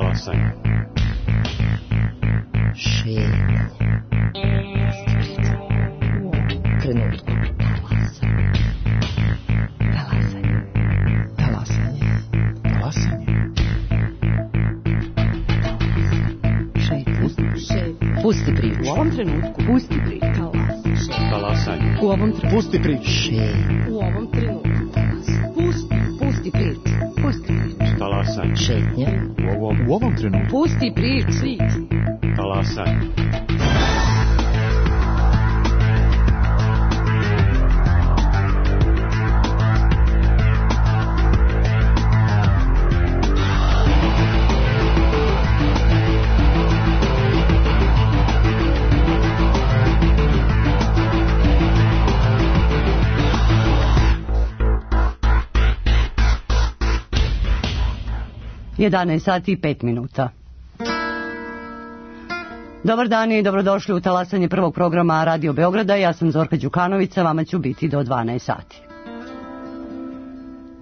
Talasanje. Šetanje. Trenutku. Talasanje. Talasanje. Talasanje. Šetanje. Pusti priču. U ovom trenutku. Pusti priču. Talasanje. U ovom trenutku. Pusti priču. U ovom trenutku. Pusti priču. Pusti priču. Talasanje. Šetnja. U ovom trenutku. Pusti priču. Talasanje. Jedanaest sati i 5 minuta. Dobar dan i dobrodošli u talasanje prvog programa Radio Beograda. Ja sam Zorka Đukanovića, vama ću biti do 12 sati.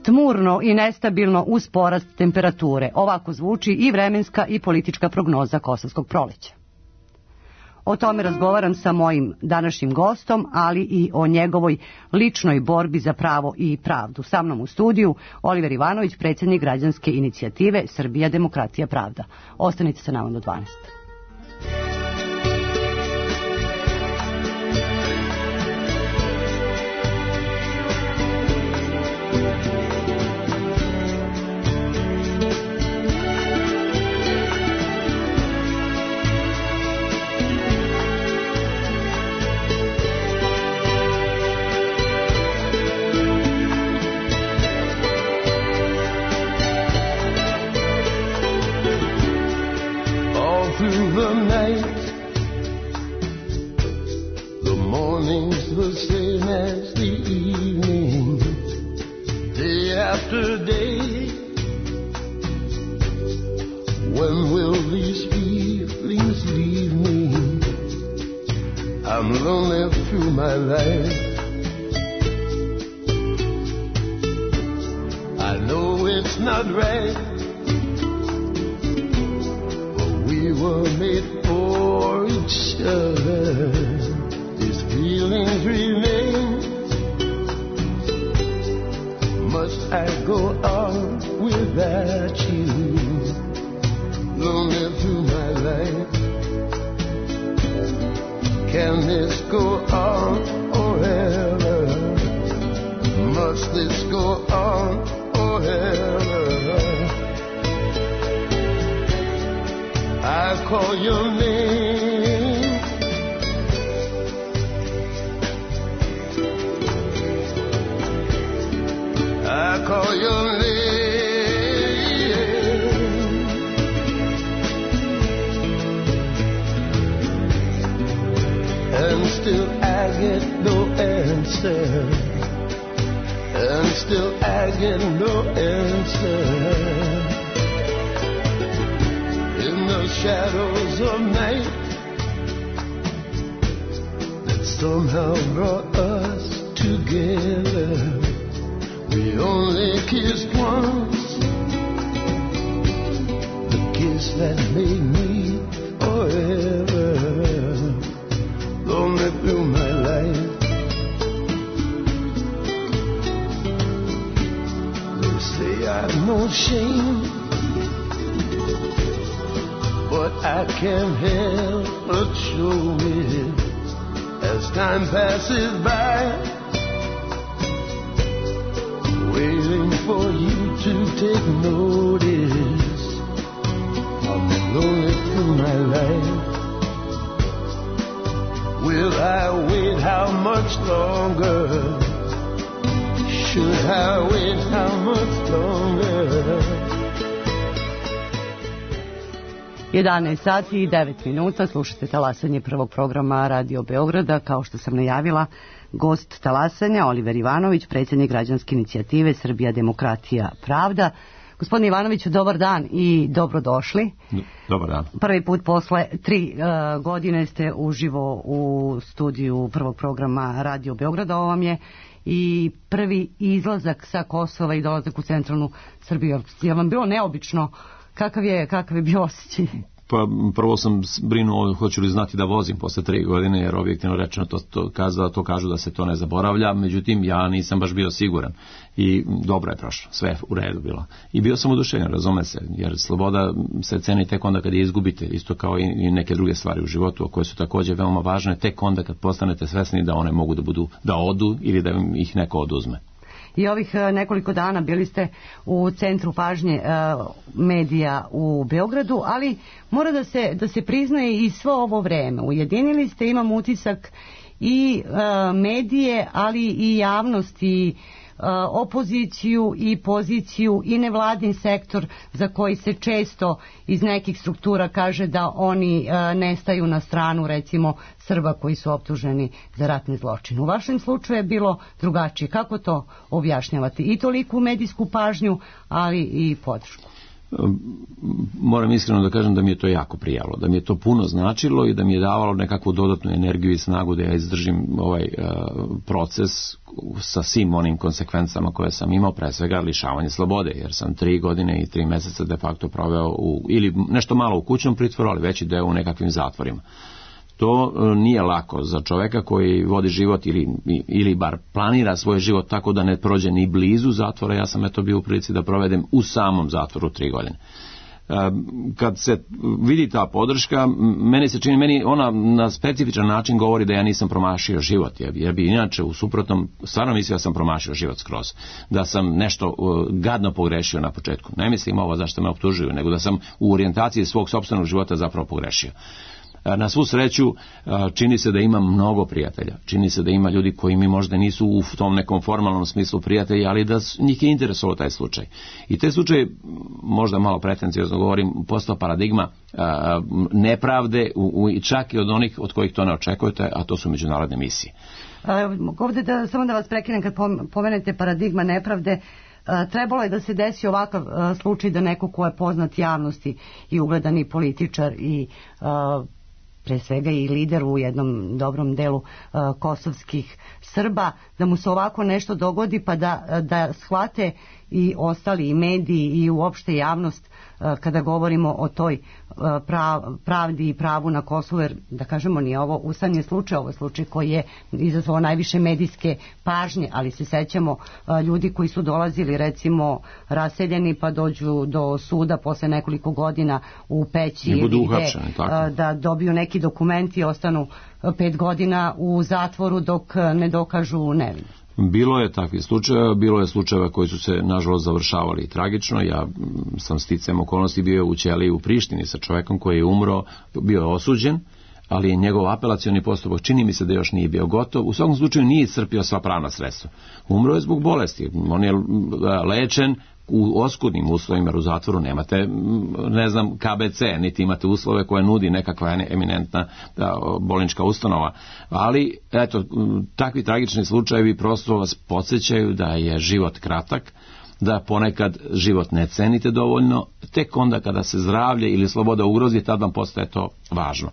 Tmurno i nestabilno uz porast temperature. Ovako zvuči i vremenska i politička prognoza Kosovskog proleća. O tome razgovaram sa mojim današnjim gostom, ali i o njegovoj ličnoj borbi za pravo i pravdu. Sa mnom u studiju Oliver Ivanović, predsjednik građanske inicijative Srbija, demokratija, pravda. Ostanite sa nama do 12. Jedanaest sati i 9 minuta, slušate talasanje prvog programa Radio Beograda. Kao što sam najavila, gost talasanja Oliver Ivanović, predsjednik građanske inicijative Srbija, demokratija, pravda. Gospodin Ivanović, dobar dan i dobrodošli. Dobar dan. Prvi put posle 3 godine ste uživo u studiju prvog programa Radio Beograda. Ovo vam je i prvi izlazak sa Kosova i dolazak u centralnu Srbiju. Je vam bilo neobično Kakav je bio osjećaj? Pa prvo sam brinuo hoću li znati da vozim posle 3 godine, jer objektivno rečeno to kažu da se to ne zaboravlja, međutim ja nisam baš bio siguran i dobro je prošlo, sve je u redu bilo. I bio sam oduševljen, razume se, jer sloboda se ceni tek onda kad je izgubite, isto kao i neke druge stvari u životu, koje su također veoma važne, tek onda kad postanete svesni da one mogu da odu ili da ih neko oduzme. I ovih nekoliko dana bili ste u centru pažnje medija u Beogradu, ali mora da se priznaje i svo ovo vreme. Ujedinili ste, imam utisak, i medije, ali i javnost, i opoziciju i poziciju i nevladin sektor, za koji se često iz nekih struktura kaže da oni ne staju na stranu, recimo, Srba koji su optuženi za ratni zločin. U vašem slučaju je bilo drugačije. Kako to objašnjavate? I toliku medijsku pažnju, ali i podršku. Moram iskreno da kažem da mi je to jako prijalo, da mi je to puno značilo i da mi je davalo nekakvu dodatnu energiju i snagu da ja izdržim ovaj proces sa svim onim konsekvencama koje sam imao, pre svega lišavanje slobode, jer sam 3 godine i 3 meseca de facto proveo ili nešto malo u kućnom pritvoru, ali veći deo u nekakvim zatvorima. To nije lako za čoveka koji vodi život ili bar planira svoj život tako da ne prođe ni blizu zatvora. Ja sam bio u prilici da provedem u samom zatvoru 3 godine. Kad se vidi ta podrška, meni ona na specifičan način govori da ja nisam promašio život, jer bi inače u suprotnom stvarno mislio da sam promašio život skroz, da sam nešto gadno pogrešio na početku. Ne mislim ovo zašto me optužuju, nego da sam u orijentaciji svog sopstvenog života zapravo pogrešio. Na svu sreću čini se da ima mnogo prijatelja, čini se da ima ljudi koji mi možda nisu u tom nekom formalnom smislu prijatelji, ali da njih je interesovao taj slučaj. I taj slučaj, možda malo pretenciozno govorim, postao paradigma nepravde čak i od onih od kojih to ne očekujete, a to su međunarodne misije. Ovdje samo da vas prekinem, kad pomenete paradigma nepravde, trebalo je da se desi ovakav slučaj da neko ko je poznat javnosti i ugledani političar i pre svega i lider u jednom dobrom delu kosovskih Srba, da mu se ovako nešto dogodi, pa da shvate i ostali i mediji i uopšte javnost kada govorimo o toj pravdi i pravu na Kosovu, jer da kažemo nije ovo usamljen slučaj, ovo je slučaj koji je izazvao najviše medijske pažnje, ali se sećamo ljudi koji su dolazili recimo raseljeni pa dođu do suda posle nekoliko godina u Peći ili da dobiju neki dokumenti i ostanu 5 godina u zatvoru dok ne dokažu nevinost. Bilo je takvih slučajeva, bilo je slučajeva koji su se nažalost završavali tragično. Ja sam sticajem okolnosti bio u ćeliji u Prištini sa čovekom koji je umro, bio je osuđen, ali je njegov apelacioni postupak, čini mi se da još nije bio gotov. U svakom slučaju nije iscrpio sva pravna sredstva. Umro je zbog bolesti, on je lečen u oskudnim uslovima, jer u zatvoru nemate, ne znam, KBC, niti imate uslove koje nudi nekakva eminentna bolnička ustanova. Ali, eto, takvi tragični slučajevi prosto vas podsjećaju da je život kratak, da ponekad život ne cenite dovoljno, tek onda kada se zdravlje ili sloboda ugrozi, tad vam postaje to važno.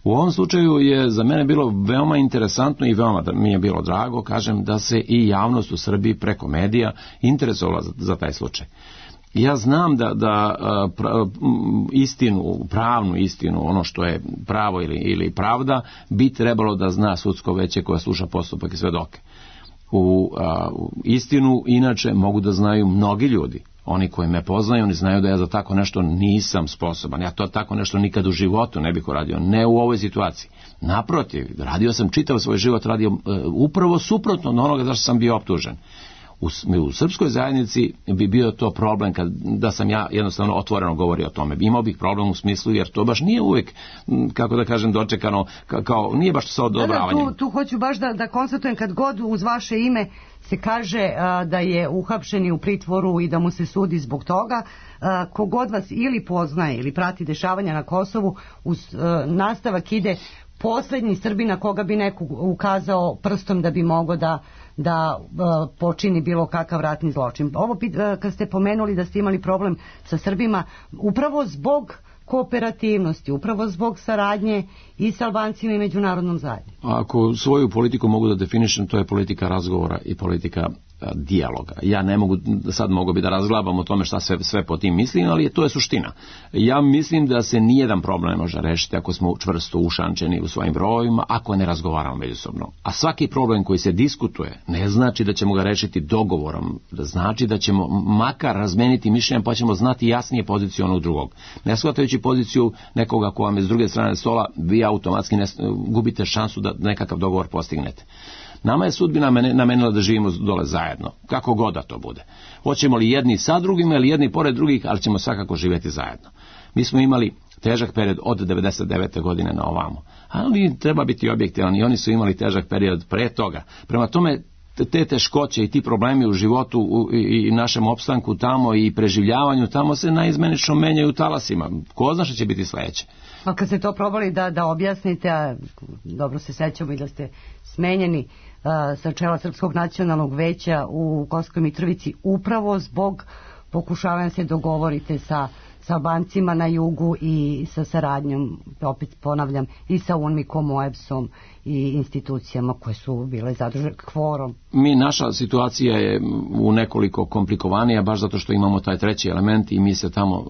U ovom slučaju je za mene bilo veoma interesantno i veoma mi je bilo drago, kažem, da se i javnost u Srbiji preko medija interesovala za taj slučaj. Ja znam da istinu, pravnu istinu, ono što je pravo ili pravda, bi trebalo da zna sudsko veće koje sluša postupak i svedoke. U istinu inače mogu da znaju mnogi ljudi. Oni koji me poznaju, oni znaju da ja za tako nešto nisam sposoban. Ja to tako nešto nikad u životu ne bih uradio. Ne u ovoj situaciji. Naprotiv, radio sam čitav svoj život, radio upravo suprotno od onoga zašto sam bio optužen. U srpskoj zajednici bi bio to problem da sam ja jednostavno otvoreno govorio o tome. Imao bih problem u smislu jer to baš nije uvijek, kako da kažem, dočekano, kao nije baš sa odobravanjem. Tu hoću baš da konstatujem, kad god uz vaše ime se kaže da je uhapšen u pritvoru i da mu se sudi zbog toga, kogod vas ili poznaje ili prati dešavanja na Kosovu, uz nastavak ide poslednji Srbin na koga bi neko ukazao prstom da bi mogao da počini bilo kakav ratni zločin. Ovo kad ste pomenuli da ste imali problem sa Srbima, upravo zbog kooperativnosti, upravo zbog saradnje i sa Albancima i međunarodnom zajednicom. Ako svoju politiku mogu da definišem, to je politika razgovora i politika dijaloga. Ja ne mogu, sad mogu bi da razglabam o tome šta sve po tim mislim, ali to je suština. Ja mislim da se nijedan problem ne može rešiti ako smo čvrsto ušančeni u svojim brojima, ako ne razgovaramo međusobno. A svaki problem koji se diskutuje ne znači da ćemo ga rešiti dogovorom, da znači da ćemo makar razmeniti mišljenja pa ćemo znati jasnije poziciju onog drugog. Ne shvatajući poziciju nekoga ko vam je s druge strane stola, vi automatski gubite šansu da nekakav dogovor postignete. Nama je sudbina namenila da živimo dole zajedno, kako god da to bude. Hoćemo li jedni sa drugima ili jedni pored drugih, ali ćemo svakako živjeti zajedno. Mi smo imali težak period od 99. godine na ovamo, ali treba biti objektivan i oni su imali težak period pre toga. Prema tome, te teškoće i ti problemi u životu i našem opstanku tamo i preživljavanju tamo se naizmenično menjaju talasima. Ko zna što će biti sledeće? A kad ste to probali da objasnite, a dobro se sećamo i da ste smenjeni sa čela Srpskog nacionalnog veća u Kosovskoj Mitrovici upravo zbog pokušavanja se dogovorite sa Albancima na jugu i sa saradnjom, opet ponavljam, i sa UNMIK-om, OEBS-om i institucijama koje su bile zadužene kvorom. Naša situacija je u nekoliko komplikovanija, baš zato što imamo taj treći element i mi se tamo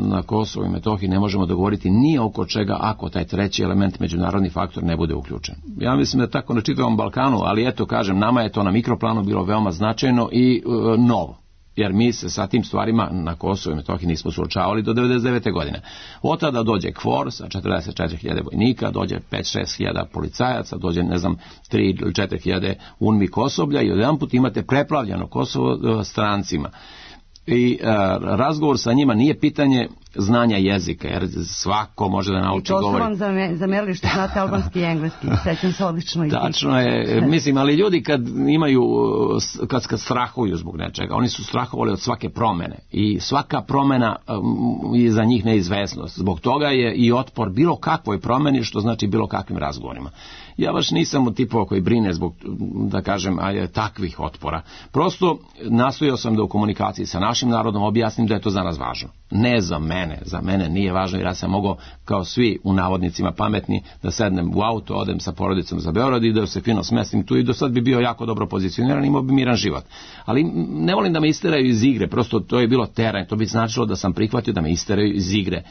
na Kosovu i Metohiji ne možemo dogovoriti ni oko čega ako taj treći element, međunarodni faktor, ne bude uključen. Ja mislim da je tako na čitavom Balkanu, ali eto kažem, nama je to na mikroplanu bilo veoma značajno i novo. Jer mi se sa tim stvarima na Kosovu i Metohiji nismo suočavali do 99. godine. Od tada dođe KFOR sa 44.000 vojnika, dođe 5-6 hiljada policajaca, dođe 3 ili 4 hiljade UNMIK osoblja i odjedanput imate preplavljeno Kosovo strancima. I razgovor sa njima nije pitanje znanja jezika, jer svako može da nauči govoriti. To su vam zamerili što znate albanski i engleski, sećam se odlično. Tačno je, mislim, ali ljudi kad strahuju zbog nečega, oni su strahovali od svake promene i svaka promena je za njih neizvesnost. Zbog toga je i otpor bilo kakvoj promeni, što znači bilo kakvim razgovorima. Ja baš nisam od tipova koji brine zbog, da kažem, takvih otpora. Prosto nastojao sam da u komunikaciji sa našim narodom objasnim da je to za nas važno. Ne za mene nije važno, jer ja sam mogao kao svi u navodnicima pametni da sednem u auto, odem sa porodicom za Beograd i da se fino smestim tu i do sad bi bio jako dobro pozicioniran i imao bi miran život. Ali ne volim da me isteraju iz igre, prosto to je bilo teranje, to bi značilo da sam prihvatio da me isteraju iz igre.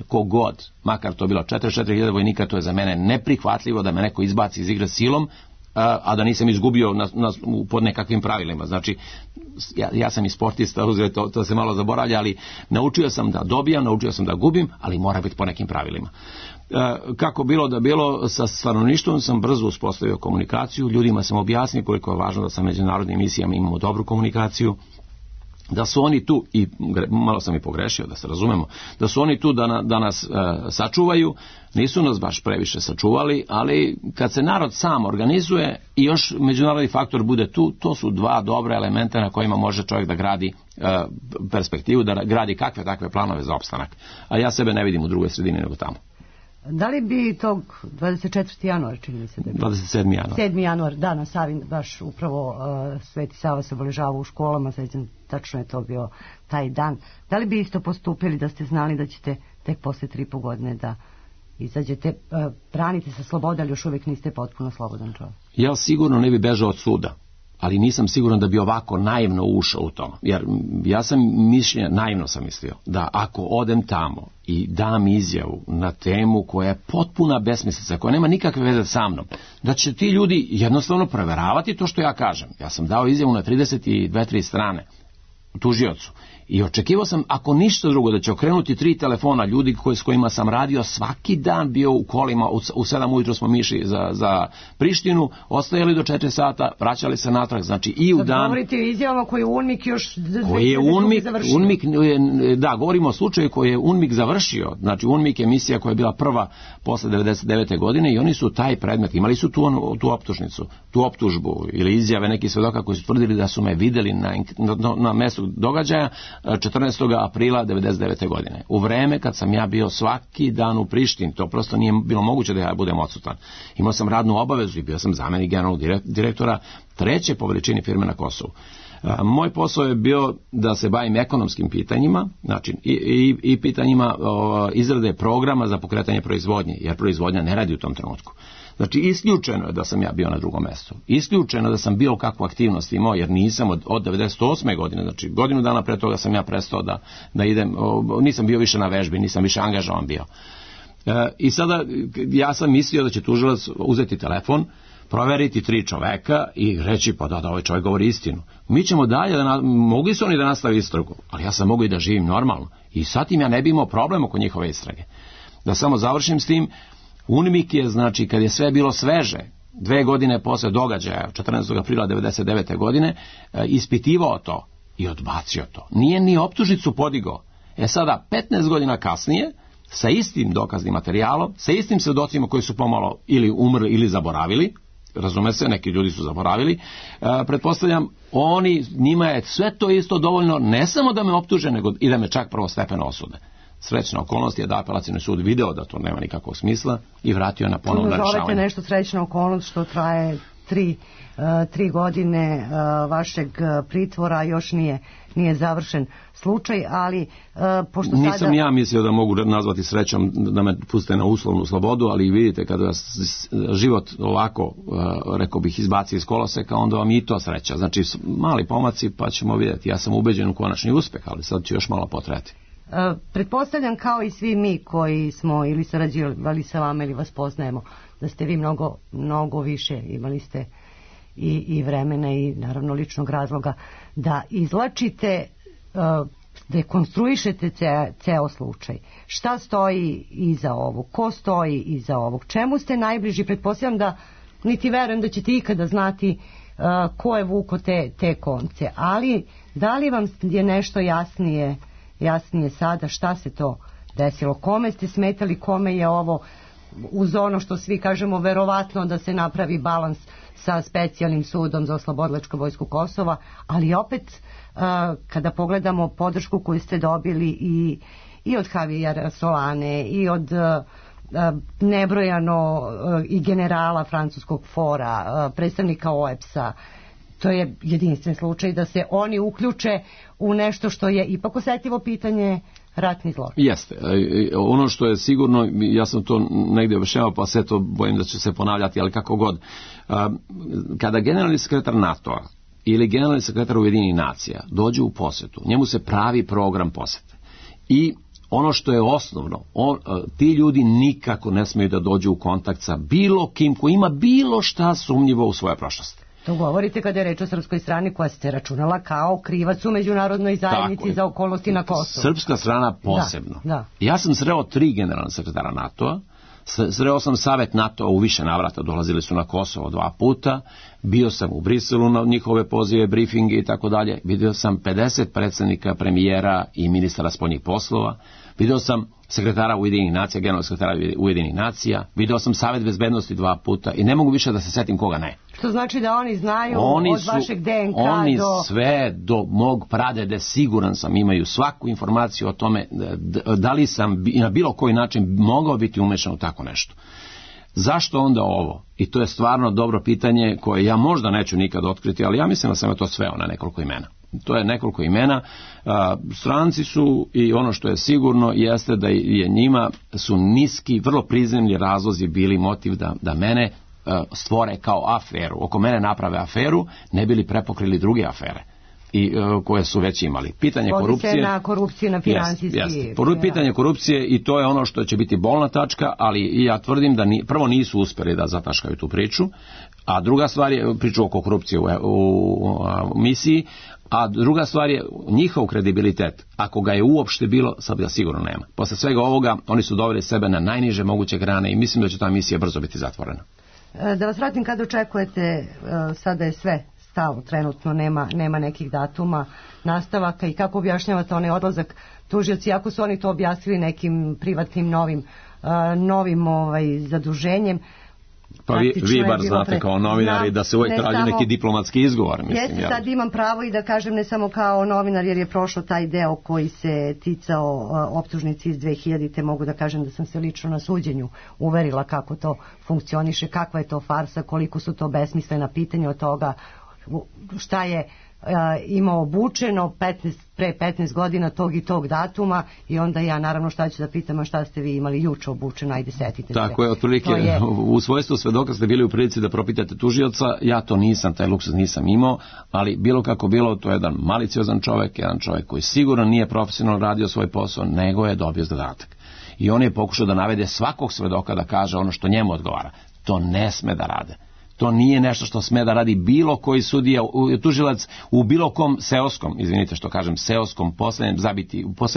Ko god, makar to bilo 44.000 vojnika, to je za mene neprihvatljivo da me neko izbaci iz igre silom, a da nisam izgubio pod nekakvim pravilima. Znači, ja sam i sportista, to se malo zaboravlja, ali naučio sam da dobijam, naučio sam da gubim, ali mora biti po nekim pravilima. Kako bilo da bilo, sa stanovništvom sam brzo uspostavio komunikaciju, ljudima sam objasnio koliko je važno da sa međunarodnim misijama imamo dobru komunikaciju, da su oni tu, i malo sam i pogrešio da se razumemo, da su oni tu da nas sačuvaju. Nisu nas baš previše sačuvali, ali kad se narod sam organizuje i još međunarodni faktor bude tu, to su dva dobra elementa na kojima može čovjek da gradi perspektivu, da gradi kakve takve planove za opstanak. A ja sebe ne vidim u drugoj sredini nego tamo. Da li bi tog 24. januar, čini mi se da je 27. januar. 7. januar, da, na Savi, baš upravo Sveti Sava se obeležava u školama, sećam, tačno je to bio taj dan. Da li bi isto postupili da ste znali da ćete tek posle 3,5 godine da izađete, branite se slobode, ali još uvijek niste potpuno slobodan čovjek? Ja sigurno ne bi bežao od suda, ali nisam siguran da bi ovako naivno ušao u to. Jer ja sam naivno sam mislio da ako odem tamo i dam izjavu na temu koja je potpuna besmislica, koja nema nikakve veze sa mnom, da će ti ljudi jednostavno proveravati to što ja kažem. Ja sam dao izjavu na 32-3 strane tužiocu i očekivao sam, ako ništa drugo, da će okrenuti 3 telefona ljudi s kojima sam radio svaki dan, bio u kolima, u 7 ujutro smo išli za Prištinu, ostajali do 4 sata, vraćali se natrag, znači i u dan... Sad govorite o izjavama koje je UNMIK još UNMIK, da, govorimo o slučaju koji je UNMIK završio, znači UNMIK je misija koja je bila prva posle 99. godine i oni su taj predmet, imali su tu optužnicu, tu optužbu ili izjave nekih svedoka koji su tvrdili da su me videli na mestu događaja 14. aprila 1999. godine. U vreme kad sam ja bio svaki dan u Prištini, to prosto nije bilo moguće da ja budem odsutan. Imao sam radnu obavezu i bio sam zamenik generalnog direktora 3. po veličini firme na Kosovu. Moj posao je bio da se bavim ekonomskim pitanjima, znači i pitanjima izrade programa za pokretanje proizvodnje, jer proizvodnja ne radi u tom trenutku. Znači, isključeno je da sam ja bio na drugom mjestu. Isključeno da sam bilo kakvu aktivnost imao, jer nisam od 98. godine, znači godinu dana pre toga sam ja prestao da idem, nisam bio više na vežbi, nisam više angažovan bio. I sada ja sam mislio da će tužilac uzeti telefon, proveriti 3 čoveka i reći pa da ovaj čovjek govori istinu. Mi ćemo dalje, mogli su oni da nastavi istragu, ali ja sam mogu i da živim normalno. I sad im ja ne bi imao problem oko njihove istrage. Da samo završim s tim, UNMIK je, znači, kad je sve bilo sveže, 2 godine posle događaja, 14. aprila 1999. godine, ispitivao to i odbacio to. Nije ni optužnicu podigao. Sada, 15 godina kasnije, sa istim dokaznim materijalom, sa istim svjedocima koji su pomalo ili umrli ili zaboravili, razume se, neki ljudi su zaboravili, pretpostavljam, njima je sve to isto dovoljno, ne samo da me optuže, nego i da me čak prvostepeno osude. Srećna okolnost je da apelacijni sud video da to nema nikakvog smisla i vratio na ponovno rešavanje. Zovete nešto srećna okolnost što traje 3 godine vašeg pritvora, još nije završen slučaj, ali pošto sada... Nisam ja mislio da mogu nazvati srećom da me puste na uslovnu slobodu, ali vidite kada vas život ovako, rekao bih, izbaci iz koloseka, onda vam i to sreća. Znači, mali pomaci pa ćemo vidjeti. Ja sam ubeđen u konačni uspeh, ali sad će još malo potrajati. Pretpostavljam kao i svi mi koji smo ili sarađivali sa vama ili vas poznajemo, da ste vi mnogo više, imali ste i vremena i naravno ličnog razloga da izlačite, dekonstruišete ceo slučaj. Šta stoji iza ovog? Ko stoji iza ovog? Čemu ste najbliži? Pretpostavljam da niti verujem da ćete ikada znati ko je vuko te konce, ali da li vam je nešto jasnije sada šta se to desilo, kome ste smetali, kome je ovo, uz ono što svi kažemo verovatno da se napravi balans sa specijalnim sudom za oslobodilačku vojsku Kosova, ali opet kada pogledamo podršku koju ste dobili i od Javijera Solane i od nebrojano i generala francuskog fora, predstavnika OEPS-a, to je jedinstven slučaj da se oni uključe u nešto što je ipak osetljivo pitanje, ratni zločin. Jeste. Ono što je sigurno, ja sam to negdje objašnjavao, pa sve to bojim da će se ponavljati, ali kako god. Kada generalni sekretar NATO-a ili generalni sekretar Ujedinjenih nacija dođe u posetu, njemu se pravi program posete. I ono što je osnovno, ti ljudi nikako ne smiju da dođu u kontakt sa bilo kim ko ima bilo šta sumnjivo u svojoj prošlosti. To govorite kada je reč o srpskoj strani koja se računala kao krivac u međunarodnoj zajednici za okolnosti na Kosovu. Srpska strana posebno. Da. Ja sam sreo 3 generalna sekretara NATO-a, sreo sam Savet NATO-a u više navrata, dolazili su na Kosovo 2 puta, bio sam u Briselu na njihove pozive, briefinge i tako dalje, vidio sam 50 predsjednika, premijera i ministara spoljnih poslova, vidio sam sekretara Ujedinjenih nacija, generalnog sekretara Ujedinjenih nacija, vidio sam Savet bezbednosti 2 puta i ne mogu više da se setim koga ne. Što znači da oni znaju od vašeg DNK oni sve do mog pradede, siguran sam, imaju svaku informaciju o tome da li sam na bilo koji način mogao biti umešan u tako nešto. Zašto onda ovo? I to je stvarno dobro pitanje koje ja možda neću nikad otkriti, ali ja mislim da sam to sveo na nekoliko imena. To je nekoliko imena. Stranci su, i ono što je sigurno jeste da je njima su niski, vrlo prizemni razlozi bili motiv da mene stvore kao aferu, oko mene naprave aferu, ne bili prepokrili druge afere i koje su već imali. Pitanje korupcije, na korupciju, na finansijski. Pitanje korupcije, i to je ono što će biti bolna tačka, ali ja tvrdim da prvo nisu uspjeli da zataškaju tu priču, a druga stvar je priču oko korupcije u misiji, a druga stvar je njihov kredibilitet. Ako ga je uopšte bilo, sad ga sigurno nema. Posle svega ovoga, oni su doveli sebe na najniže moguće grane i mislim da će ta misija brzo biti zatvorena. Da vas vratim, kad očekujete, sada je sve stalo, trenutno nema nekih datuma nastavaka, i kako objašnjavate onaj odlazak tužioci, ako su oni to objasnili nekim privatnim novim zaduženjem? Pa vi bar znate kao novinari da se uvijek traži neki diplomatski izgovor. Jeste, sad imam pravo i da kažem ne samo kao novinar, jer je prošlo taj deo koji se ticao optužnici iz 2000-te, mogu da kažem da sam se lično na suđenju uverila kako to funkcioniše, kakva je to farsa, koliko su to besmislena pitanja od toga šta je imao obučeno pre 15 godina tog i tog datuma, i onda ja naravno šta ću da pitam, a šta ste vi imali juče obučeno, ajde setite se. Tako je, otprilike u svojstvu svedoka ste bili u prilici da propitate tužioca, ja to nisam, taj luksuz nisam imao, ali bilo kako bilo, to je jedan maliciozan čovjek, jedan čovjek koji sigurno nije profesionalno radio svoj posao, nego je dobio zadatak. I on je pokušao da navede svakog svedoka da kaže ono što njemu odgovara. To ne sme da rade. To nije nešto što sme da radi bilo koji sudija, tužilac u bilo kom seoskom, izvinite što kažem, seoskom poslednjem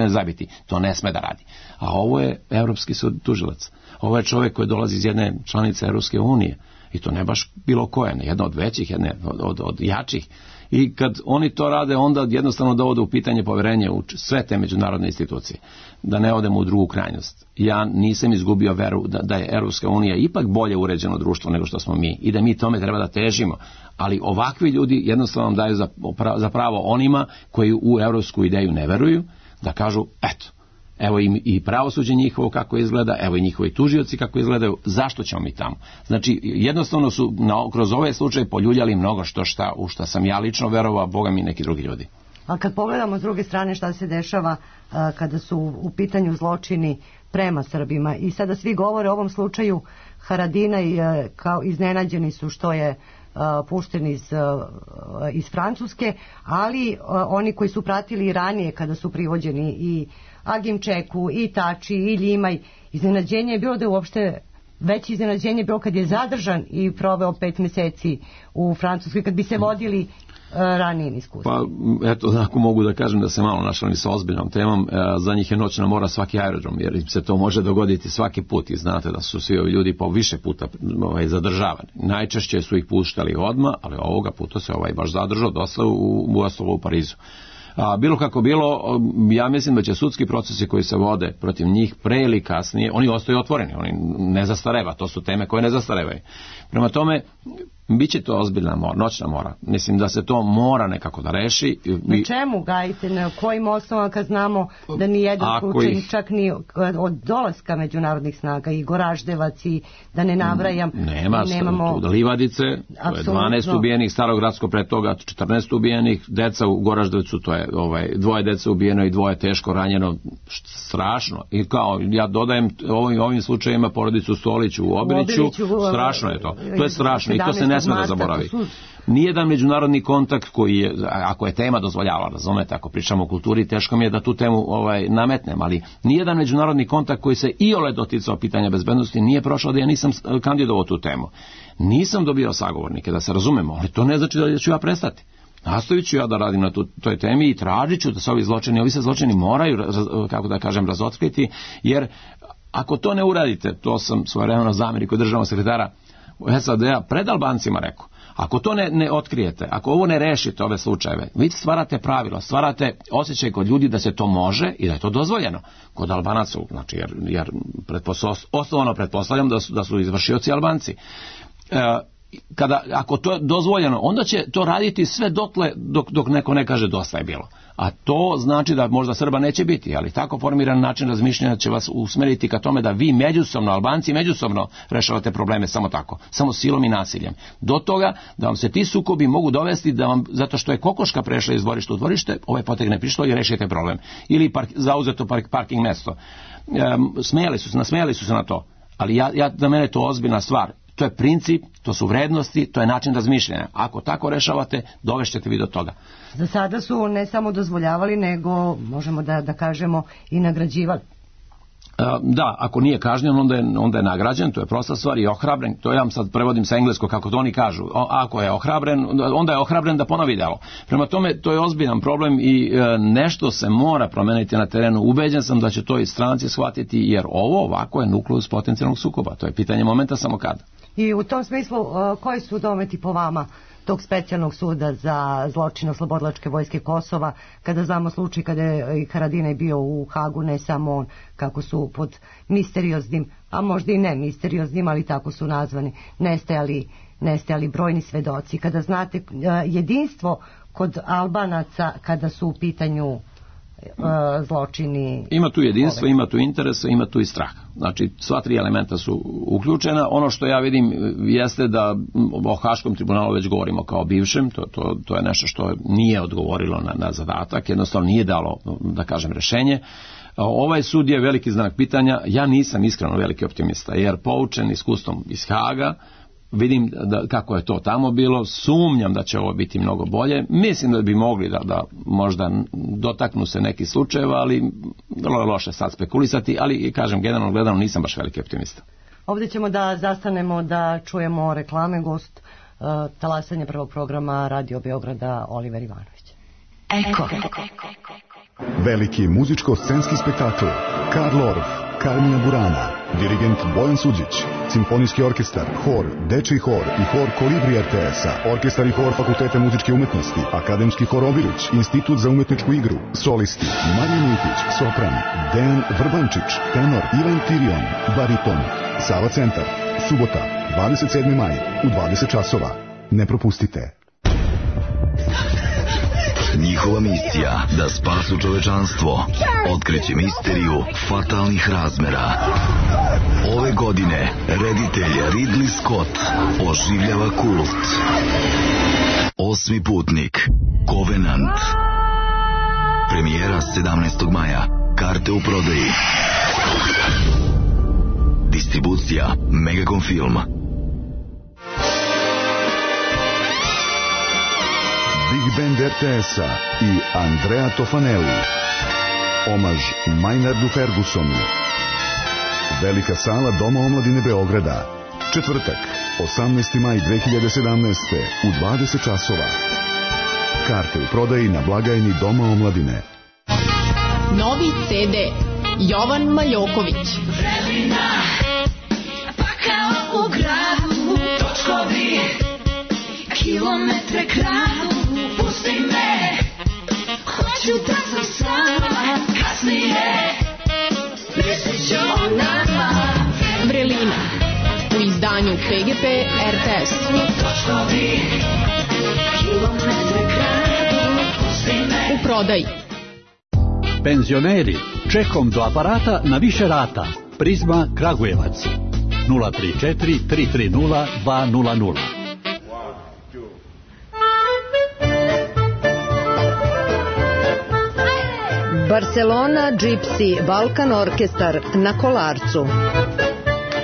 zabiti, to ne sme da radi. A ovo je Evropski sud tužilac. Ovo je čovjek koji dolazi iz jedne članice Evropske unije. I to ne baš bilo koje, jedna od većih, jedna od jačih. I kad oni to rade, onda jednostavno dovode u pitanje poverenje u sve te međunarodne institucije. Da ne odemo u drugu krajnost. Ja nisam izgubio veru da je Evropska unija ipak bolje uređeno društvo nego što smo mi i da mi tome treba da težimo. Ali ovakvi ljudi jednostavno daju za pravo onima koji u evropsku ideju ne veruju, da kažu, eto, evo i pravosuđe njihovo kako izgleda, evo i njihovi tužioci kako izgledaju, zašto ćemo mi tamo? Znači, jednostavno su kroz ovaj slučaj poljuljali mnogo u šta sam ja lično verovao, a Boga mi neki drugi ljudi. A kad pogledamo s druge strane šta se dešava kada su u pitanju zločini prema Srbima, i sada svi govore o ovom slučaju Haradina i kao iznenađeni su što je pušten iz Francuske, ali oni koji su pratili i ranije kada su privođeni i Agim Čeku, i Tači, i Ljimaj, iznenađenje je bilo da je uopšte veće iznenađenje je bilo kad je zadržan i proveo 5 meseci u Francuskoj, kad bi se vodili ranijim iskustvom. Pa, eto, ako mogu da kažem da se malo našali sa ozbiljnom temom, za njih je noćna mora svaki aerodrom, jer im se to može dogoditi svaki put i znate da su svi ovi ljudi po više puta zadržavani. Najčešće su ih puštali odmah, ali ovoga puta se baš zadržao dosta u Parizu. Bilo kako bilo, ja mislim da će sudski procesi koji se vode protiv njih pre ili kasnije, oni ostaju otvoreni, oni ne zastareva, to su teme koje ne zastarevaju. Prema tome, bit će to ozbiljna noćna mora. Mislim da se to mora nekako da reši. Na čemu gajite, na kojim osnovama, kad znamo da ni jedan slučaj, čak ni od dolaska međunarodnih snaga, i Goraždevac, i da ne nabrajam. Nemamo Livadice, to je 12 ubijenih, Starogradsko pre toga 14 ubijenih, deca u Goraždevcu, to je 2 deca ubijeno i 2 teško ranjeno, strašno. I kao, ja dodajem ovim slučajima porodicu Stolić u Obiliću, strašno je to. To je strašno i to se ne sme da zaboravi. Nijedan međunarodni kontakt koji je, ako je tema dozvoljavala, razumete, ako pričamo o kulturi, teško mi je da tu temu nametnem, ali nijedan međunarodni kontakt koji se iole doticao pitanja bezbednosti nije prošao da ja nisam kandidovao tu temu. Nisam dobio sagovornike, da se razumemo, ali to ne znači da ću ja prestati. Nastavit ću ja da radim na toj temi i tražit ću da se ovi se zločini moraju, kako da kažem, razotkriti, jer ako to ne uradite, to sam svojevremeno zamjenik kod državnog sekretara SAD-a pred Albancima rekao, ako to ne otkrijete, ako ovo ne rešite, ove slučajeve, vi stvarate pravilo, stvarate osjećaj kod ljudi da se to može i da je to dozvoljeno. Kod Albanaca, znači, jer osnovano pretpostavljam da su izvršioci Albanci. Ako to je dozvoljeno, onda će to raditi sve dotle dok neko ne kaže dosta je bilo. A to znači da možda Srba neće biti, ali tako formiran način razmišljanja će vas usmeriti ka tome da vi međusobno, Albanci međusobno rešavate probleme samo tako, samo silom i nasiljem. Do toga da vam se ti sukobi mogu dovesti da vam, zato što je kokoška prešla iz dvorišta u dvorište, potegne prišlo i rešite problem. Ili zauzeto parking mesto. Nasmejali su se na to, ali za mene je to ozbiljna stvar. To je princip, to su vrednosti, to je način razmišljanja. Ako tako rešavate, dovešćete vi do toga. Za sada su ne samo dozvoljavali, nego možemo da kažemo i nagrađivali. Da, ako nije kažnjen, onda je nagrađen, to je prosta stvar, i ohrabren, to ja sad prevodim sa engleskog kako to oni kažu, ako je ohrabren, onda je ohrabren da ponovi delo. Prema tome, to je ozbiljan problem i nešto se mora promeniti na terenu. Ubeđen sam da će to i stranci shvatiti, jer ovo ovako je nukleus potencijalnog sukoba, to je pitanje momenta samo kada. I u tom smislu, koji su dometi po vama tog specijalnog suda za zločine Oslobodilačke vojske Kosova, kada znamo slučaj kada je Haradinaj bio u Hagu, ne samo on, kako su pod misterioznim, a možda i ne misterioznim, ali tako su nazvani, nestajali brojni svedoci. Kada znate jedinstvo kod Albanaca kada su u pitanju zločini. Ima tu jedinstvo, ima tu interesa, ima tu i strah. Znači, sva tri elementa su uključena. Ono što ja vidim jeste da o Haškom tribunalu već govorimo kao bivšem, to je nešto što nije odgovorilo na zadatak, jednostavno nije dalo, da kažem, rešenje. Ovaj sud je veliki znak pitanja. Ja nisam iskreno veliki optimista, jer poučen iskustvom iz Haga, vidim kako je to tamo bilo, sumnjam da će ovo biti mnogo bolje. Mislim da bi mogli da možda dotaknu se neki slučajeva, ali vrlo je loše sad spekulisati, ali kažem, generalno gledano nisam baš veliki optimista. Ovdje ćemo da zastanemo da čujemo reklame. Gost talasanje prvog programa Radio Beograda Oliver Ivanović. Eko. Veliki muzičko-scenski spektakl Karl Orff, Carmina Burana, dirigent Bojan Suđić, simfonijski orkestar, hor, dečiji hor i hor Kolibri RTS-a, orkestar i hor Fakulteta muzičke umetnosti, akademski hor Obilić, institut za umetničku igru, solisti Marija Mikić, sopran, Dejan Vrbančić, tenor Ivan Tirion, bariton, Sava centar, subota, 27. maj, u 20 časova. Ne propustite. Njihova misija da spasu čovečanstvo, otkriće misteriju fatalnih razmera. Ove godine reditelj Ridley Scott oživljava kult. Osmi putnik, Covenant. Premijera 17. maja. Karte u prodaji. Distribucija Megacom Film. Big Band RTS-a i Andrea Tofanelli. Omaž Maynardu Fergusonu. Velika sala Doma omladine Beograda. Četvrtak, 18. maj 2017. u 20 časova. Karte u prodaji na blagajni Doma omladine. Novi CD Jovan Maljoković. Vremena, pa kao u gradu, točkovi, kilometre kradu. Pusti me, hoću da sam sama, kasnije mislit ću o nama. Vrelina u izdanju PGP RTS. Točkovi, kilometre kradu, pusti me. U prodaji. Penzioneri, čekom do aparata na više rata. Prizma Kragujevac 034 330 200. Barcelona Gypsy Balkan Orkestar na Kolarcu.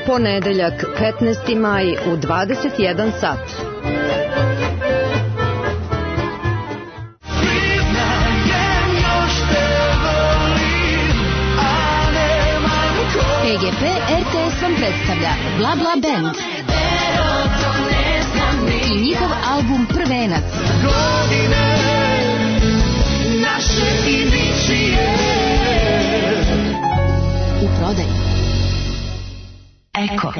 Ponedeljak 15. maj u 21 sat. PGP RTS vam predstavlja Bla Bla Band i njihov album Prvenac. U prodaji. Eko.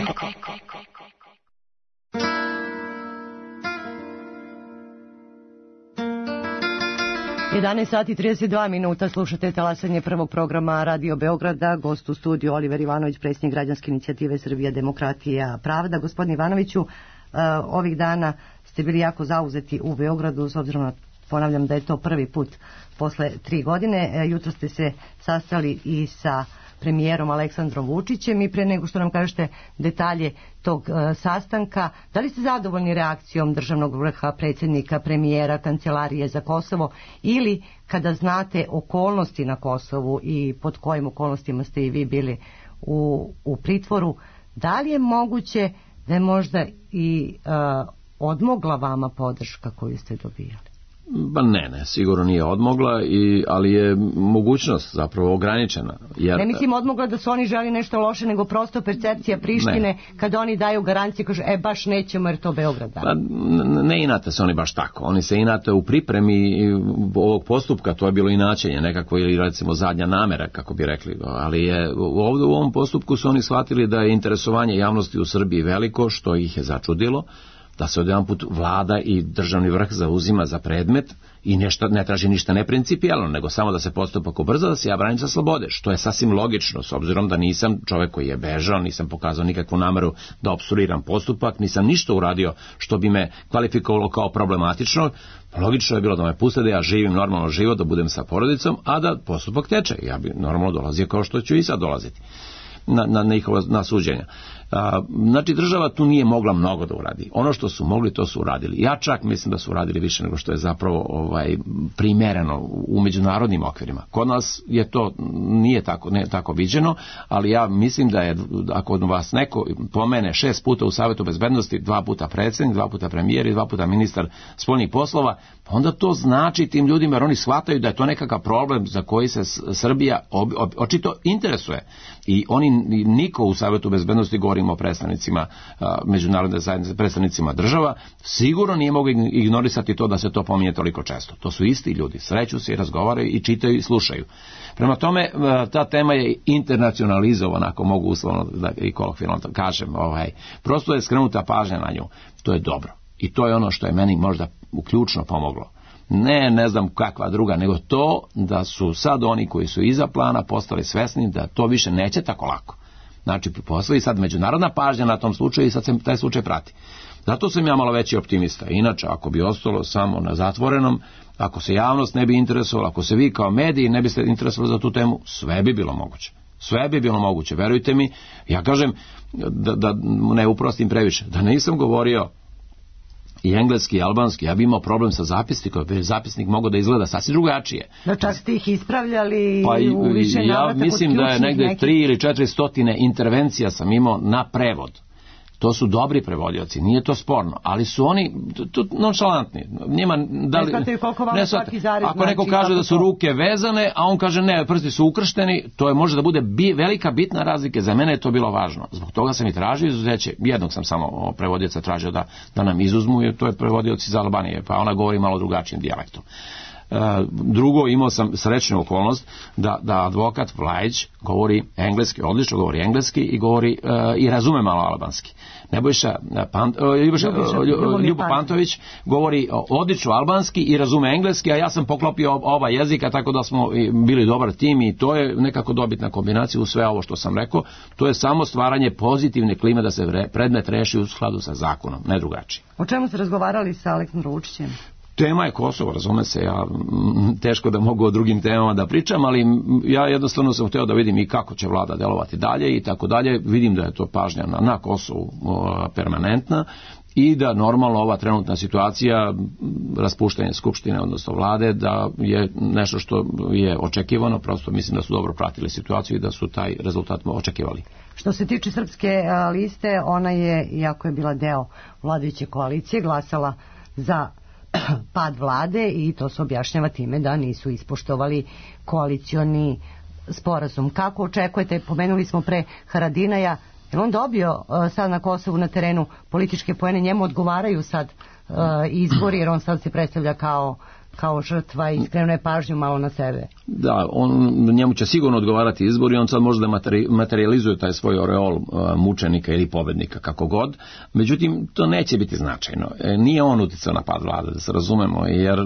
11 sati 32 minuta, slušate talasanje prvog programa Radio Beograda. Gost u studiju Oliver Ivanović, predsjednik građanske inicijative Srbija, demokratija, pravda. Gospodine Ivanoviću, ovih dana ste bili jako zauzeti u Beogradu, s obzirom na, ponavljam, da je to prvi put posle 3 godine. Jutro ste se sastali i sa premijerom Aleksandrom Vučićem i pre nego što nam kažete detalje tog sastanka, da li ste zadovoljni reakcijom državnog vrha, predsjednika, premijera, kancelarije za Kosovo, ili kada znate okolnosti na Kosovu i pod kojim okolnostima ste i vi bili u pritvoru, da li je moguće da je možda i odmogla vama podrška koju ste dobijali? Ba ne, sigurno nije odmogla, ali je mogućnost zapravo ograničena. Jer... Ne mislim odmogla da su oni želi nešto loše, nego prosto percepcija Prištine, kada oni daju garancije, kažu, baš nećemo jer to Beograd da. Ne inate se oni baš tako, oni se inate u pripremi ovog postupka, to je bilo inačenje nekako, ili recimo zadnja namera, kako bi rekli, ali je ovdje u ovom postupku su oni shvatili da je interesovanje javnosti u Srbiji veliko, što ih je začudilo. da se odjedanput vlada i državni vrh zauzima za predmet i ne traži ništa neprincipijalno, nego samo da se postupak ubrza, da se ja branim za slobode, što je sasvim logično, s obzirom da nisam čovjek koji je bežao, nisam pokazao nikakvu nameru da opstruiram postupak, nisam ništa uradio što bi me kvalifikovalo kao problematično. Logično je bilo da me puste da ja živim normalno život, da budem sa porodicom, a da postupak teče. Ja bi normalno dolazio kao što ću i sad dolaziti na suđenja. Znači država tu nije mogla mnogo da uradi. Ono što su mogli, to su uradili. Ja čak mislim da su uradili više nego što je zapravo primereno u međunarodnim okvirima. Kod nas je to nije tako viđeno, ali ja mislim da je, ako vas neko pomene 6 puta u Savetu bezbednosti, 2 puta predsjednik, 2 puta premijer i 2 puta ministar spoljnih poslova, onda to znači tim ljudima, jer oni shvataju da je to nekakav problem za koji se Srbija očito interesuje. I oni, niko u Savetu bezbednosti, govorimo o predstavnicima međunarodne zajednice, predstavnicima država, sigurno nije mogu ignorisati to da se to pominje toliko često. To su isti ljudi, sreću se i razgovaraju i čitaju i slušaju. Prema tome, ta tema je internacionalizovana, ako mogu uslovno da i kolokvijalno kažem. Prosto je skrenuta pažnja na nju. To je dobro. I to je ono što je meni možda ključno pomoglo. Ne znam kakva druga, nego to da su sad oni koji su iza plana postali svesni da to više neće tako lako. Znači, postoji sad međunarodna pažnja na tom slučaju i sad se taj slučaj prati. Zato sam ja malo veći optimista. Inače, ako bi ostalo samo na zatvorenom, ako se javnost ne bi interesovala, ako se vi kao mediji ne biste interesovali za tu temu, sve bi bilo moguće. Sve bi bilo moguće, verujte mi. Ja kažem, da ne uprostim previše, da nisam govorio i engleski i albanski, ja bi imao problem sa zapisnikom, jer zapisnik mogao da izgleda sasvim drugačije. Da čak ste ih ispravljali u više navrata. Ja mislim da je negde 3 ili 400 intervencija sam imao na prevod. To su dobri prevodioci, nije to sporno, ali su oni nonšalantni. Njima ako neko kaže da su ruke vezane, a on kaže ne, prsti su ukršteni, to može da bude velika bitna razlika. Za mene je to bilo važno. Zbog toga sam i tražio izuzeće. Jednog sam samo prevodioca tražio da nam izuzmu, jer to je prevodioc iz Albanije, pa ona govori malo drugačijim dijalektom. Drugo, imao sam srećnu okolnost da advokat Vlajić govori engleski, odlično govori engleski i govori i razume malo albanski. Ljubo Pantović govori odlično albanski i razume engleski, a ja sam poklopio oba jezika, tako da smo bili dobar tim i to je nekako dobitna kombinacija u sve ovo što sam rekao. To je samo stvaranje pozitivne klime da se predmet reši u skladu sa zakonom, ne drugačije. O čemu ste razgovarali sa Aleksandrom Vučićem? Tema je Kosovo, razume se, ja teško da mogu o drugim temama da pričam, ali ja jednostavno sam htio da vidim i kako će vlada delovati dalje i tako dalje. Vidim da je to pažnja na Kosovu permanentna i da normalno ova trenutna situacija, raspuštanje skupštine, odnosno vlade, da je nešto što je očekivano, prosto mislim da su dobro pratili situaciju i da su taj rezultat očekivali. Što se tiče Srpske liste, ona je, iako je bila deo vladajuće koalicije, glasala za pad vlade i to se objašnjava time da nisu ispoštovali koalicioni sporazum. Kako očekujete, pomenuli smo pre Haradinaja, je on dobio sad na Kosovu na terenu političke poene, njemu odgovaraju sad izbori jer on sad se predstavlja kao žrtva i skrenuo je pažnju malo na sebe. Da, njemu će sigurno odgovarati izbor i on sad može da materializuje taj svoj oreol mučenika ili pobednika, kako god. Međutim, to neće biti značajno. Nije on uticao na pad vlade, da se razumemo, jer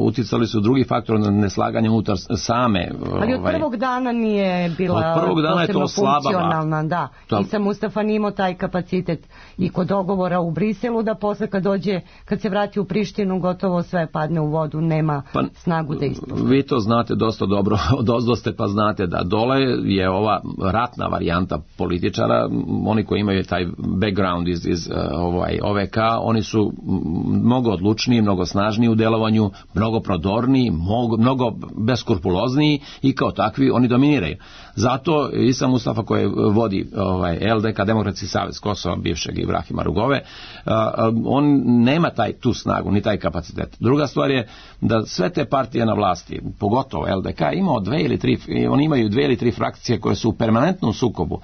uticali su drugi faktor na neslaganje unutar same. Ali od prvog dana nije bila posebno funkcionalna, da. I sam Mustafa nije imao taj kapacitet i kod dogovora u Briselu da posle kad se vrati u Prištinu gotovo sve padne u vodu, nema snagu da ispoštuje. Vi to znate dosta dobro, dosta pa znate da dole je ova ratna varijanta političara, oni koji imaju taj background iz OVK, oni su mnogo odlučniji, mnogo snažniji u delovanju, mnogo prodorniji, mnogo beskrupulozniji i kao takvi oni dominiraju. Zato Isa Mustafa koji vodi LDK, Demokratski savez Kosova, bivšeg Ibrahima Rugove, on nema tu snagu, ni taj kapacitet. Druga stvar je da sve te partije na vlasti, pogotovo LDK, oni imaju 2 ili 3 frakcije koje su u permanentnom sukobu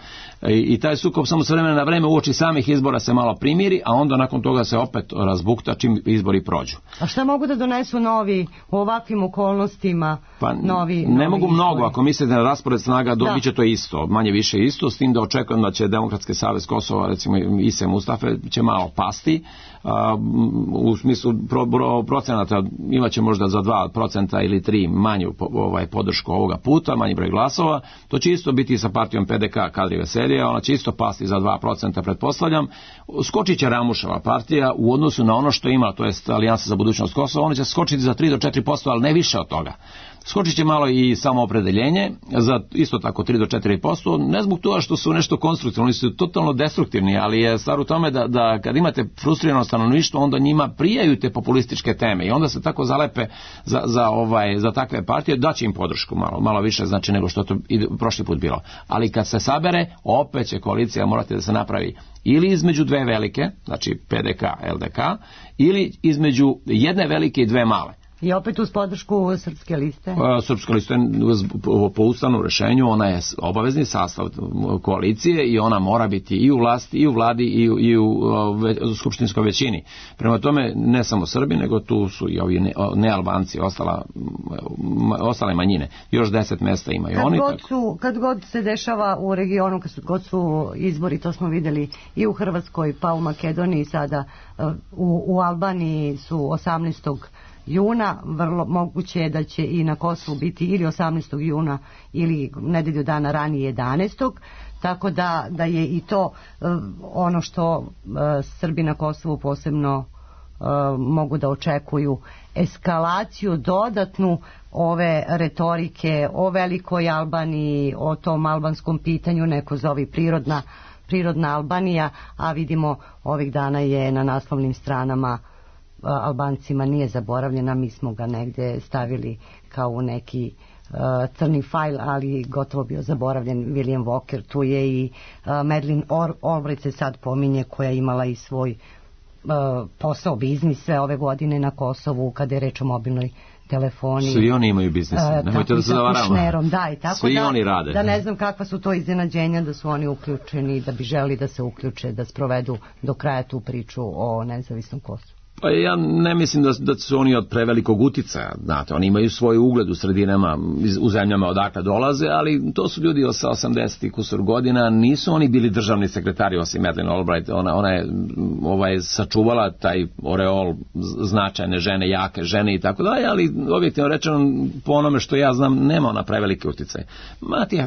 i taj sukob samo s vremena na vreme uoči samih izbora se malo primiri, a onda nakon toga se opet razbukta čim izbori prođu. A šta mogu da donesu novi u ovakvim okolnostima novi... Ne mogu mnogo, izbori. ako mislite na raspored snaga, dobit će to isto, manje više isto, s tim da očekujem da će Demokratski savez Kosova, recimo Ise Mustafe, će malo pasti, u smislu procenata imaće možda za 2% ili 3% manju podršku ovoga puta, manji broj glasova. To će isto biti sa partijom PDK Kadri Veselija, ona će isto pasti za 2%, pretpostavljam. Skočit će Ramuševa partija u odnosu na ono što ima, to jest Alijansa za budućnost Kosova, ona će skočiti za 3 do 4%, ali ne više od toga. Skočit će malo i samoopredeljenje za isto tako 3 do 4%, ne zbog toga što su nešto konstruktivni, oni su totalno destruktivni, ali je stvar u tome da kad imate frustrirano stanovništvo, onda njima prijaju te populističke teme i onda se tako zalepe za takve partije, daće im podršku malo više, znači nego što to prošli put bilo. Ali kad se sabere, opet će koalicija morati da se napravi ili između dve velike, znači PDK, LDK, ili između jedne velike i dve male. I opet uz podršku Srpske liste? Srpska lista po ustavnom rešenju, ona je obavezni sastav koalicije i ona mora biti i u vlasti, i u vladi, i u skupštinskoj većini. Prema tome, ne samo Srbi, nego tu su i ovi nealbanci, ostale manjine. Još 10 mesta imaju oni. Kad god se dešava u regionu, kad god su izbori, to smo videli i u Hrvatskoj, pa u Makedoniji sada, u Albaniji su 18. juna, vrlo moguće je da će i na Kosovu biti ili 18. juna ili nedelju dana ranije 11. Tako da je i to ono što Srbi na Kosovu posebno mogu da očekuju, eskalaciju dodatnu ove retorike o velikoj Albaniji, o tom albanskom pitanju, neko zove prirodna Albanija, a vidimo ovih dana je na naslovnim stranama Albancima nije zaboravljena, mi smo ga negde stavili kao u neki crni fajl, ali gotovo bio zaboravljen William Walker, tu je i Madeleine Albright se sad pominje, koja je imala i svoj posao, biznis sve ove godine na Kosovu kada je reč o mobilnoj telefoniji. Svi oni imaju biznis, nemojte da se zavaramo. Da, i tako svi oni rade. Da ne znam kakva su to iznenađenja da su oni uključeni, da bi želi da se uključe, da sprovedu do kraja tu priču o nezavisnom Kosovu. Pa ja ne mislim da su oni od prevelikog uticaja, znate, oni imaju svoj ugled u sredinama, u zemljama odakle dolaze, ali to su ljudi sa 80 kusur godina, nisu oni bili državni sekretari osim Madeleine Albright, ona je sačuvala taj oreol značajne žene, jake žene i tako dalje, ali objektivno rečeno, po onome što ja znam, nema ona prevelike uticaje.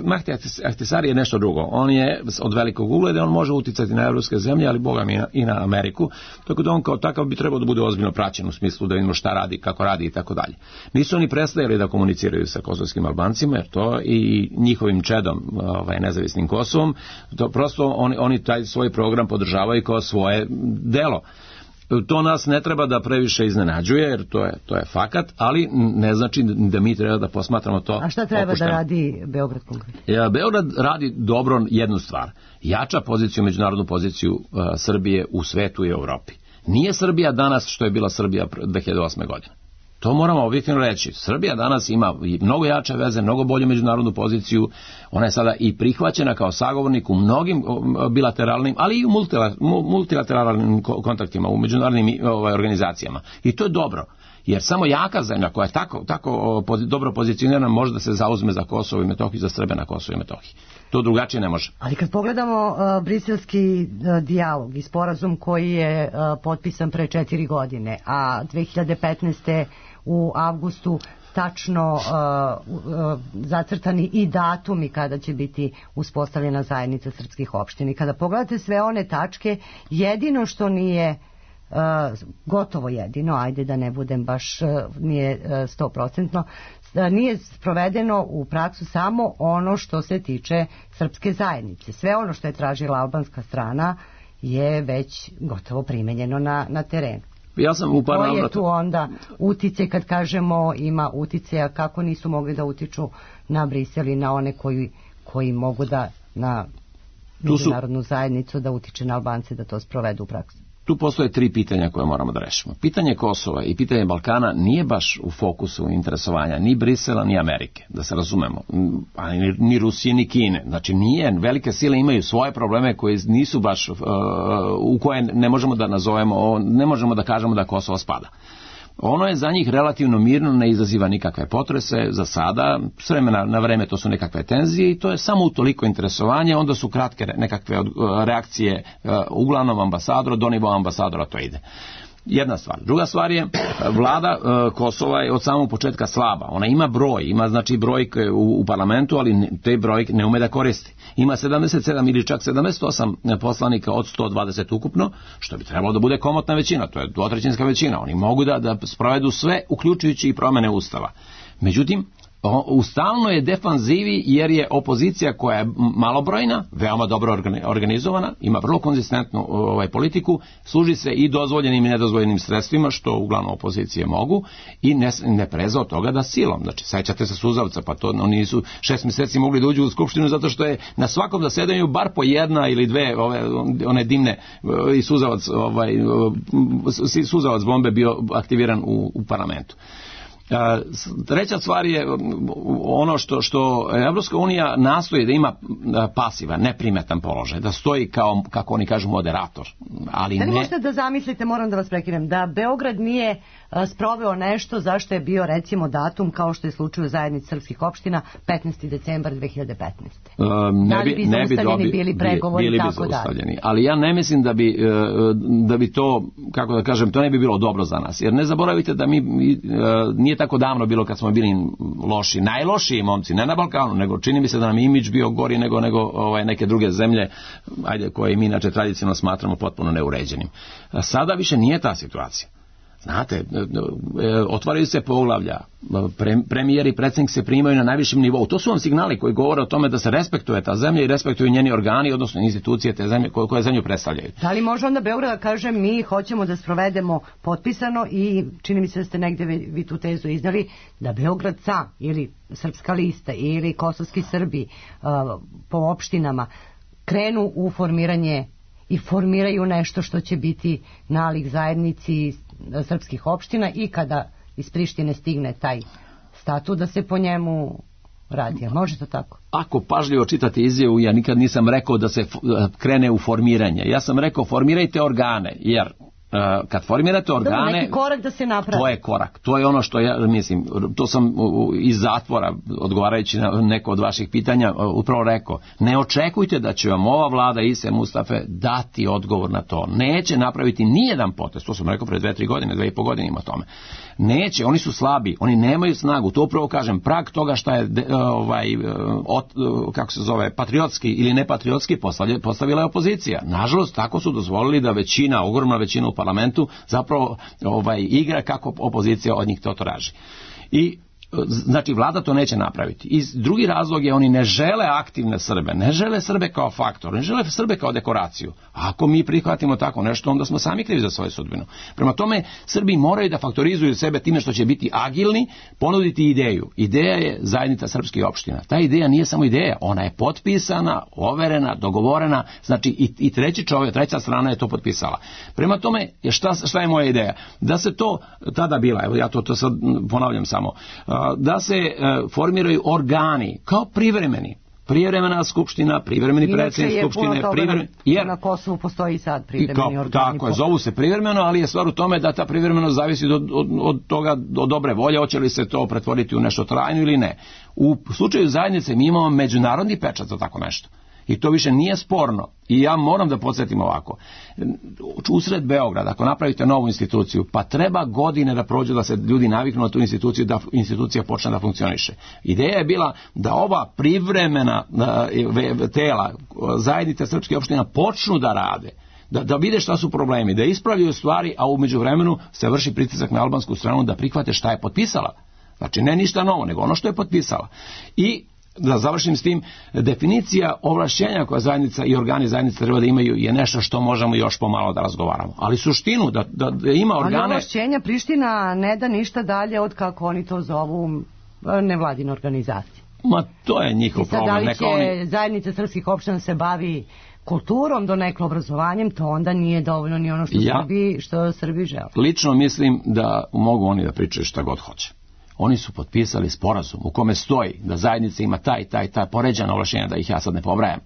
Mahdi Ahtisari je nešto drugo, on je od velikog ugleda, on može uticati na evropske zemlje, ali boga mi i na Ameriku, tako da on kao takav bi trebao da bude ozbiljno praćen u smislu da vidimo šta radi, kako radi i tako dalje. Nisu oni prestajali da komuniciraju sa kosovskim Albancima, jer to i njihovim čedom, nezavisnim Kosovom, to prosto oni taj svoj program podržavaju kao svoje delo. To nas ne treba da previše iznenađuje, jer to je fakat, ali ne znači da mi treba da posmatramo to. A šta treba opušteno. Da radi Beograd konkretno? Beograd radi dobro jednu stvar. Jača poziciju, međunarodnu poziciju Srbije u svetu i Evropi. Nije Srbija danas što je bila Srbija 2008. godine. To moramo objektivno reći. Srbija danas ima mnogo jače veze, mnogo bolju međunarodnu poziciju. Ona je sada i prihvaćena kao sagovornik u mnogim bilateralnim, ali i u multilateralnim kontaktima, u međunarodnim organizacijama. I to je dobro. Jer samo jaka zemlja koja je tako dobro pozicionirana može da se zauzme za Kosovo i Metohiju, za Srbe na Kosovo i Metohiji. To drugačije ne može. Ali kad pogledamo briselski dijalog i sporazum koji je potpisan pre 4 godine, a 2015. u avgustu tačno zacrtani i datumi kada će biti uspostavljena zajednica srpskih opština. I kada pogledate sve one tačke, jedino što nije gotovo jedino, ajde da ne budem baš, nije 100%, nije sprovedeno u praksu samo ono što se tiče srpske zajednice. Sve ono što je tražila albanska strana je već gotovo primenjeno na terenu. Ja sam u par navrata. To je tu onda utice, kad kažemo ima utice, kako nisu mogli da utiču na Brisel i na one koji mogu da na međunarodnu zajednicu da utiče na Albance da to sprovedu u praksu. Tu postoje 3 pitanja koje moramo da rešimo. Pitanje Kosova i pitanje Balkana nije baš u fokusu interesovanja ni Brisela ni Amerike, da se razumemo, ni Rusije ni Kine. Znači nije, velike sile imaju svoje probleme koje nisu baš, u koje ne možemo da nazovemo, ne možemo da kažemo da Kosovo spada. Ono je za njih relativno mirno, ne izaziva nikakve potrese za sada, s vremena na vreme to su nekakve tenzije i to je samo utoliko interesovanje, onda su kratke nekakve reakcije, uglavnom ambasadora, do nivoa ambasadora to ide. Jedna stvar. Druga stvar je, vlada Kosova je od samog početka slaba. Ona ima broj, ima znači brojke u parlamentu, ali te brojke ne ume da koristi. Ima 77 ili čak 78 poslanika od 120 ukupno, što bi trebalo da bude komotna većina, to je dvotrećinska većina. Oni mogu da sprovedu sve, uključujući i promene ustava. Međutim, u stalnoj je defanzivi jer je opozicija koja je malobrojna, veoma dobro organizovana, ima vrlo konzistentnu politiku, služi se i dozvoljenim i nedozvoljenim sredstvima, što uglavnom opozicije mogu, i ne preza od toga da silom. Znači, sećate se Suzavca, pa to oni nisu 6 mjeseci mogli da uđu u skupštinu zato što je na svakom zasedanju bar po jedna ili dve one dimne i suzavac bombe bio aktiviran u parlamentu. Treća stvar je ono što Evropska unija nastoji da ima pasivan, neprimetan položaj, da stoji kao, kako oni kažu, moderator. Ali da li možete da zamislite, moram da vas prekinem, da Beograd nije sproveo nešto zašto je bio recimo datum, kao što je slučaj u zajednici srpskih opština, 15. decembar 2015. Ne bi zaustavljeni bili pregovori i tako dalje. Ali ja ne mislim da bi to, kako da kažem, to ne bi bilo dobro za nas. Jer ne zaboravite da mi nije tako davno bilo kad smo bili loši, najlošiji momci, ne na Balkanu, nego čini mi se da nam imidž bio gori nego neke druge zemlje, koje mi inače tradicionalno smatramo potpuno neuređenim. Sada više nije ta situacija. Znate, otvaraju se poglavlja, premijer i predsjednik se primaju na najvišem nivou. To su vam signali koji govore o tome da se respektuje ta zemlja i respektuju njeni organi, odnosno institucije te zemlje koje zemlju predstavljaju. Da li može onda Beograd kaže mi hoćemo da sprovedemo potpisano i čini mi se da ste negdje vi tu tezu iznali, da Beograd sam ili Srpska lista ili kosovski Srbi po opštinama krenu u formiranje i formiraju nešto što će biti nalik zajednici srpskih opština i kada iz Prištine stigne taj statut da se po njemu radi. Može to tako? Ako pažljivo čitate izjavu, ja nikad nisam rekao da se krene u formiranje. Ja sam rekao formirajte organe, jer kad formirate organe, neki korak da se napravi. To je korak. To je ono što ja mislim, to sam iz zatvora, odgovarajući na neko od vaših pitanja, upravo rekao. Ne očekujte da će vam ova vlada Ise Mustafe dati odgovor na to. Neće napraviti nijedan potez. To sam rekao pre 2-3 godine, 2,5 godine ima tome. Neće, oni su slabi, oni nemaju snagu. To upravo kažem, prag toga šta je kako se zove, patriotski ili nepatriotski postavila je opozicija. Nažalost, tako su dozvolili da većina, ogromna većina u parlamentu zapravo igra kako opozicija od njih to traži. I znači vlada to neće napraviti. I drugi razlog je oni ne žele aktivne Srbe, ne žele Srbe kao faktor, ne žele Srbe kao dekoraciju. A ako mi prihvatimo tako nešto, onda smo sami krivi za svoju sudbinu. Prema tome, Srbi moraju da faktorizuju sebe time što će biti agilni, ponuditi ideju. Ideja je zajednica srpskih opština. Ta ideja nije samo ideja, ona je potpisana, overena, dogovorena, znači i treća strana je to potpisala. Prema tome, šta je moja ideja? Da se to tada bila, evo ja to sad ponavljam samo, da se formiraju organi kao privremena skupština, privremeni predsjednik skupštine, jer na Kosovu postoji sad privremeni organi. Tako je, zovu se privremeno, ali je stvar u tome da ta privremenost zavisi od toga, od dobre volje, hoće li se to pretvoriti u nešto trajno ili ne. U slučaju zajednice mi imamo međunarodni pečat za tako nešto. I to više nije sporno. I ja moram da podsjetim ovako. Usred Beograda, ako napravite novu instituciju, pa treba godine da prođu da se ljudi naviknu na tu instituciju, da institucija počne da funkcioniše. Ideja je bila da ova privremena tela, zajednice srpskih opština počnu da rade, da vide šta su problemi, da ispravljaju stvari, a u međuvremenu se vrši pritisak na albansku stranu da prihvate šta je potpisala. Znači ne ništa novo, nego ono što je potpisala. I da završim s tim, definicija ovlašćenja koja zajednica i organi zajednice treba da imaju je nešto što možemo još pomalo da razgovaramo. Ali suštinu da ima organe... Ali ovlašćenja Priština ne da ništa dalje od kako oni to zovu nevladine organizacije. Ma to je njihov problem. Da li će zajednica srpskih opština se bavi kulturom, donekle obrazovanjem, to onda nije dovoljno ni ono što Srbi žele. Lično mislim da mogu oni da pričaju šta god hoće. Oni su potpisali sporazum u kome stoji da zajednica ima taj poređana ovlašćenja, da ih ja sad ne pobrajam.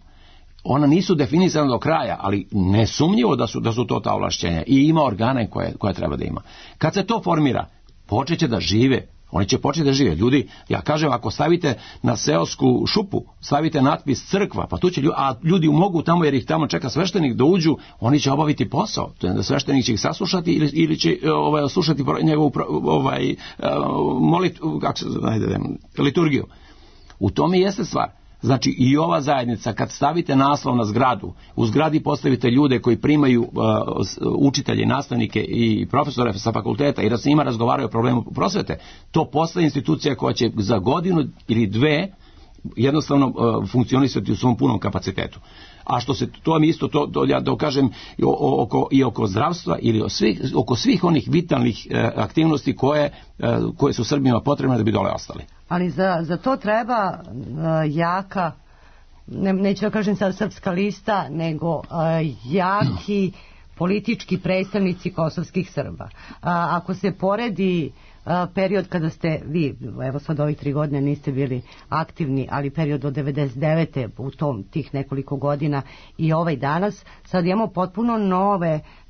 Ona nisu definisana do kraja, ali nesumnjivo da su to ta ovlašćenja i ima organe koje treba da ima. Kad se to formira, počeće da žive. Oni će početi da žive. Ljudi, ja kažem, ako stavite na seosku šupu, stavite natpis crkva, pa tu će ljudi mogu tamo, jer ih tamo čeka sveštenik da uđu, oni će obaviti posao. Sveštenik će ih saslušati ili će slušati njegovu molitvu, liturgiju. U tome jeste stvar. Znači i ova zajednica, kad stavite naslov na zgradu, u zgradi postavite ljude koji primaju učitelje, nastavnike i profesore sa fakulteta i da se njima razgovaraju o problemu prosvete, to postaje institucija koja će za godinu ili dve jednostavno funkcionisati u svom punom kapacitetu. A što se to mi isto to ja da kažem i oko zdravstva ili oko svih onih vitalnih aktivnosti koje su Srbima potrebne da bi dole ostali. Ali za to treba jaka, neću da kažem sad srpska lista, nego jaki politički predstavnici kosovskih Srba. Ako se poredi period kada ste vi, evo sad ovih 3 godine niste bili aktivni, ali period od 99. u tih nekoliko godina i ovaj danas, sad imamo potpuno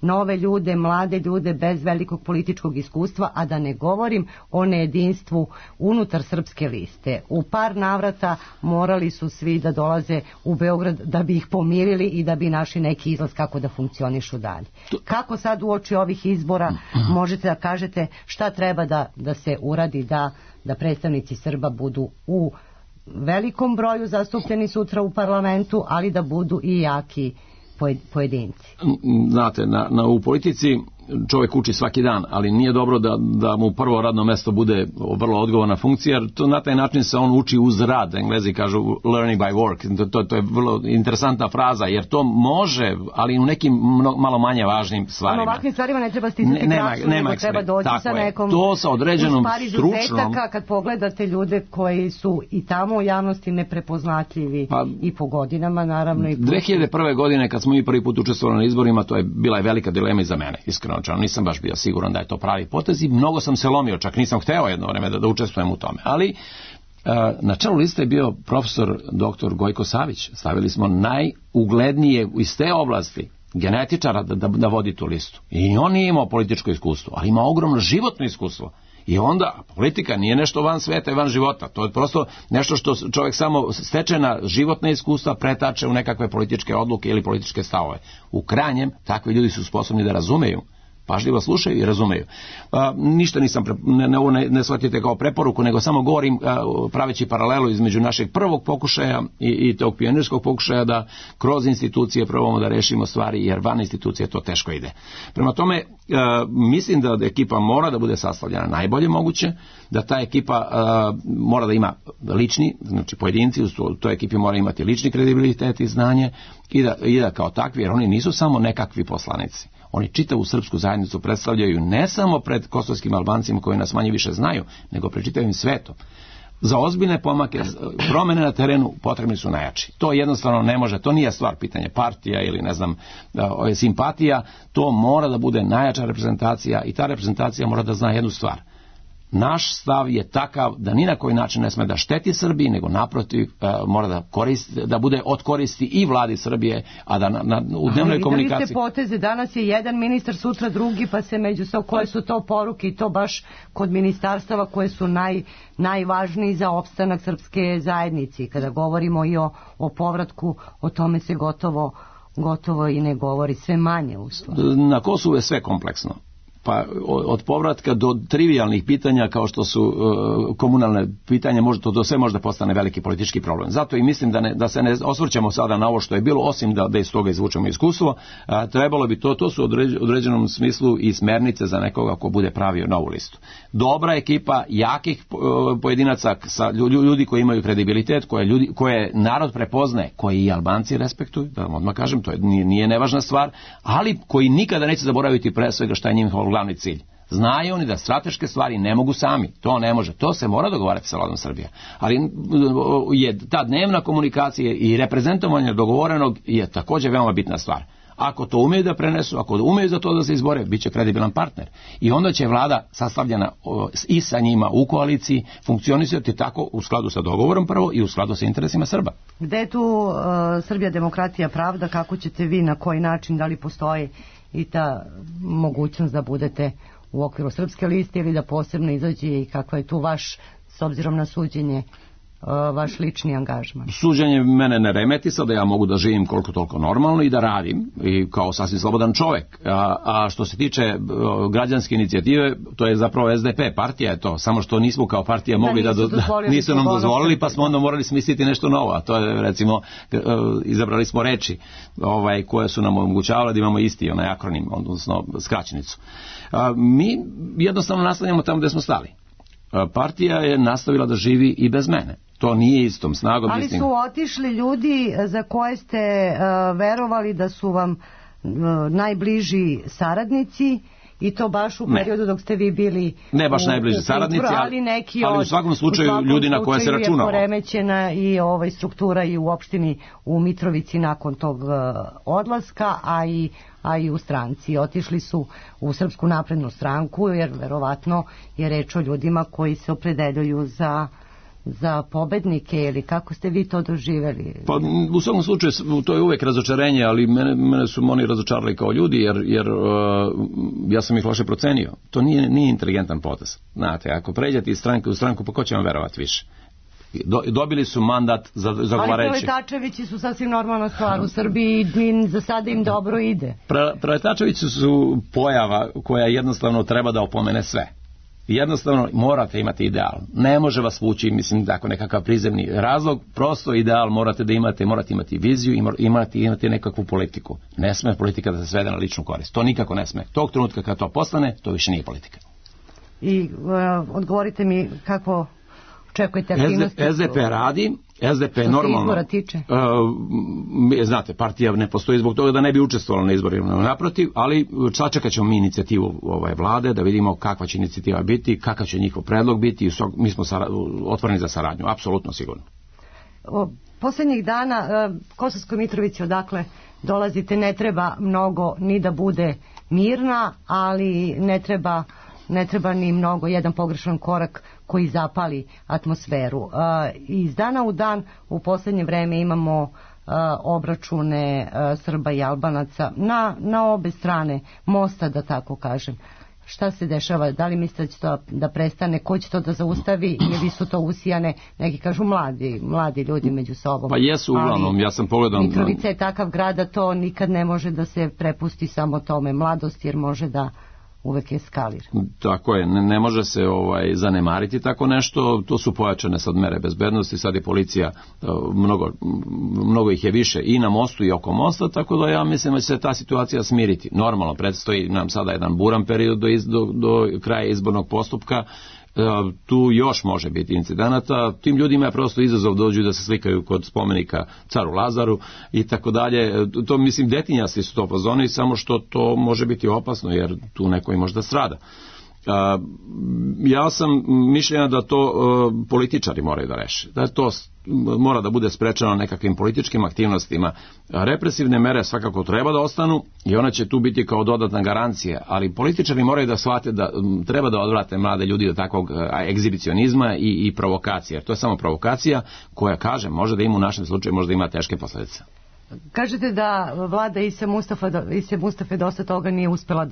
nove ljude, mlade ljude bez velikog političkog iskustva, a da ne govorim o nejedinstvu unutar srpske liste. U par navrata morali su svi da dolaze u Beograd da bi ih pomirili i da bi našli neki izlaz kako da funkcionišu dalje. Kako sad uoči ovih izbora možete da kažete šta treba da se uradi da predstavnici Srba budu u velikom broju zastupljeni sutra u parlamentu, ali da budu i jaki pojedinci? Znate, u politici čovjek uči svaki dan, ali nije dobro da mu prvo radno mesto bude vrlo odgovorna funkcija, jer to na taj način se on uči uz rad. Englezi kažu learning by work. To je vrlo interesantna fraza, jer to može, ali u nekim malo manje važnim stvarima. Ovakvim stvarima ne treba stisati praksu, nego treba doći sa nekom to sa određenom stručnom. Kad pogledate ljude koji su i tamo u javnosti neprepoznatljivi i po godinama, naravno. 2001. godine kad smo mi prvi put učestvovali na izborima, to je bila velika dilema i za mene, iskreno. Nisam baš bio siguran da je to pravi potez i mnogo sam se lomio, čak nisam hteo jedno vreme da učestvujem u tome. Ali na čelu liste je bio profesor dr. Gojko Savić. Stavili smo najuglednije iz te oblasti genetičara da vodi tu listu. I on nije imao političko iskustvo, ali ima ogromno životno iskustvo. I onda politika nije nešto van sveta i van života. To je prosto nešto što čovjek samo stečena životna iskustva pretače u nekakve političke odluke ili političke stavove. U krajnjem, takvi ljudi su sposobni da razumeju, pažljivo slušaju i razumeju. Ništa nisam, ne shvatite kao preporuku, nego samo govorim praveći paralelu između našeg prvog pokušaja i tog pionirskog pokušaja da kroz institucije probamo da rešimo stvari, jer van institucije to teško ide. Prema tome, mislim da ekipa mora da bude sastavljena najbolje moguće, da ta ekipa mora da ima lični, znači pojedinci u toj ekipi mora imati lični kredibilitet i znanje i da kao takvi, jer oni nisu samo nekakvi poslanici. Oni čitavu srpsku zajednicu predstavljaju ne samo pred kosovskim Albancima koji nas manje više znaju, nego pred čitavim svetom. Za ozbiljne pomake, promene na terenu potrebni su najjači. To jednostavno ne može, to nije stvar pitanja partija ili ne znam simpatija, to mora da bude najjača reprezentacija i ta reprezentacija mora da zna jednu stvar. Naš stav je takav da ni na koji način ne sme da šteti Srbiji, nego naprotiv mora da bude od koristi i vladi Srbije, a da u dnevnoj komunikaciji... Videli ste poteze, danas je jedan ministar, sutra drugi, pa se međusobno, koje su to poruke i to baš kod ministarstava koje su najvažniji za opstanak srpske zajednice. Kada govorimo i o povratku, o tome se gotovo i ne govori, sve manje uslova. Na Kosovu je sve kompleksno. Pa od povratka do trivijalnih pitanja kao što su komunalne pitanja, to sve može da postane veliki politički problem. Zato i mislim da se ne osvrćamo sada na ovo što je bilo, osim da iz toga izvučemo iskustvo. Trebalo bi to su u određenom smislu i smernice za nekoga ko bude pravio novu listu. Dobra ekipa jakih pojedinaca, ljudi koji imaju kredibilitet, koje narod prepoznaje, koji i Albanci respektuju, da vam odmah kažem, to nije nevažna stvar, ali koji nikada neće zaboraviti pre svega šta je njihov glavni cilj. Znaju oni da strateške stvari ne mogu sami, to ne može, to se mora dogovarati sa vladom Srbije. Ali je ta dnevna komunikacija i reprezentovanje dogovorenog je također veoma bitna stvar. Ako to umeju da prenesu, ako umeju za to da se izbore, bit će kredibilan partner. I onda će vlada sastavljena i sa njima u koaliciji funkcionisati tako u skladu sa dogovorom prvo i u skladu sa interesima Srba. Gde je tu Srbija, demokratija, pravda, kako ćete vi, na koji način, da li postoji i ta mogućnost da budete u okviru Srpske liste ili da posebno izađe i kakva je tu vaš, s obzirom na suđenje, vaš lični angažman? Suđenje mene ne remeti, sada ja mogu da živim koliko toliko normalno i da radim i kao sasvim slobodan čovek. A što se tiče građanske inicijative, to je zapravo SDP, partija je to, samo što nismo kao partija mogli nisu nam dozvolili, pa smo onda morali smisliti nešto novo, a to je recimo izabrali smo reči koje su nam omogućavale da imamo isti onaj akronim, odnosno skraćenicu. Mi jednostavno nastavljamo tamo gde smo stali. Partija je nastavila da živi i bez mene. To nije istom snagom. Ali su otišli ljudi za koje ste verovali da su vam najbliži saradnici i to baš u periodu dok ste vi bili ne baš najbliži saradnici, ali u svakom slučaju ljudi na koje se računalo. Je poremećena i struktura i u opštini u Mitrovici nakon tog odlaska, a i u stranci. Otišli su u Srpsku naprednu stranku, jer verovatno je reč o ljudima koji se opredeljuju za pobednike, ili kako ste vi to doživjeli? Pa u svakom slučaju to je uvek razočarenje, ali mene su oni razočarali kao ljudi, jer ja sam ih loše procenio. To nije inteligentan potez. Znate, ako pređete iz stranke u stranku, pa ko će vam verovati više? Dobili su mandat za zagovarajući. Ali preletačevići su sasvim normalna stvar u Srbiji i za sada im dobro ide. Preletačevići su pojava koja jednostavno treba da opomene sve. Jednostavno morate imati ideal. Ne može vas vući, mislim, tako nekakav prizemni razlog, prosto ideal morate da imate, morate imati viziju i imati nekakvu politiku. Ne sme politika da se svede na ličnu korist. To nikako ne sme. Tog trenutka kad to postane, to više nije politika. I odgovorite mi kako očekujete aktivnosti? SDP radi, SDP normalno. Izbora tiče? Znate, partija ne postoji zbog toga da ne bi učestvovala na izborima, naprotiv, ali sačekat ćemo mi inicijativu vlade da vidimo kakva će inicijativa biti, kakav će njihov predlog biti i mi smo otvoreni za saradnju, apsolutno sigurno. Poslednjih dana Kosovskoj Mitrovici, odakle dolazite, ne treba mnogo ni da bude mirna, ali ne treba ni mnogo jedan pogrešan korak koji zapali atmosferu. Iz dana u dan u poslednje vreme imamo obračune Srba i Albanaca na obe strane mosta, da tako kažem. Šta se dešava? Da li mislite da će to da prestane? Ko će to da zaustavi? Ili su to usijane, neki kažu mladi ljudi među sobom? Pa jesu uglavnom, ja sam pogledao. Mitrovica je takav grad da to nikad ne može da se prepusti samo tome mladost, jer može da uvek eskalira. Tako je, ne može se zanemariti tako nešto, to su pojačane sad mere bezbednosti, sad je policija, mnogo ih je više i na mostu i oko mosta, tako da ja mislim da će se ta situacija smiriti. Normalno, predstoji nam sada jedan buran period do kraja izbornog postupka, tu još može biti incidenata, tim ljudima je prosto izazov dođu da se slikaju kod spomenika caru Lazaru i tako dalje, to mislim detinjasti su to fazoni, samo što to može biti opasno jer tu neko i možda strada. Ja sam mišljenja da to političari moraju da reše, da to mora da bude sprečeno nekakvim političkim aktivnostima. Represivne mere svakako treba da ostanu i one će tu biti kao dodatna garancija, ali političari moraju da shvate da treba da odvrate mlade ljudi od takvog egzibicionizma i provokacije, jer to je samo provokacija koja, kažem, može da ima u našem slučaju, može da ima teške posledice. Kažete da vlada Ise Mustafe dosta toga nije uspela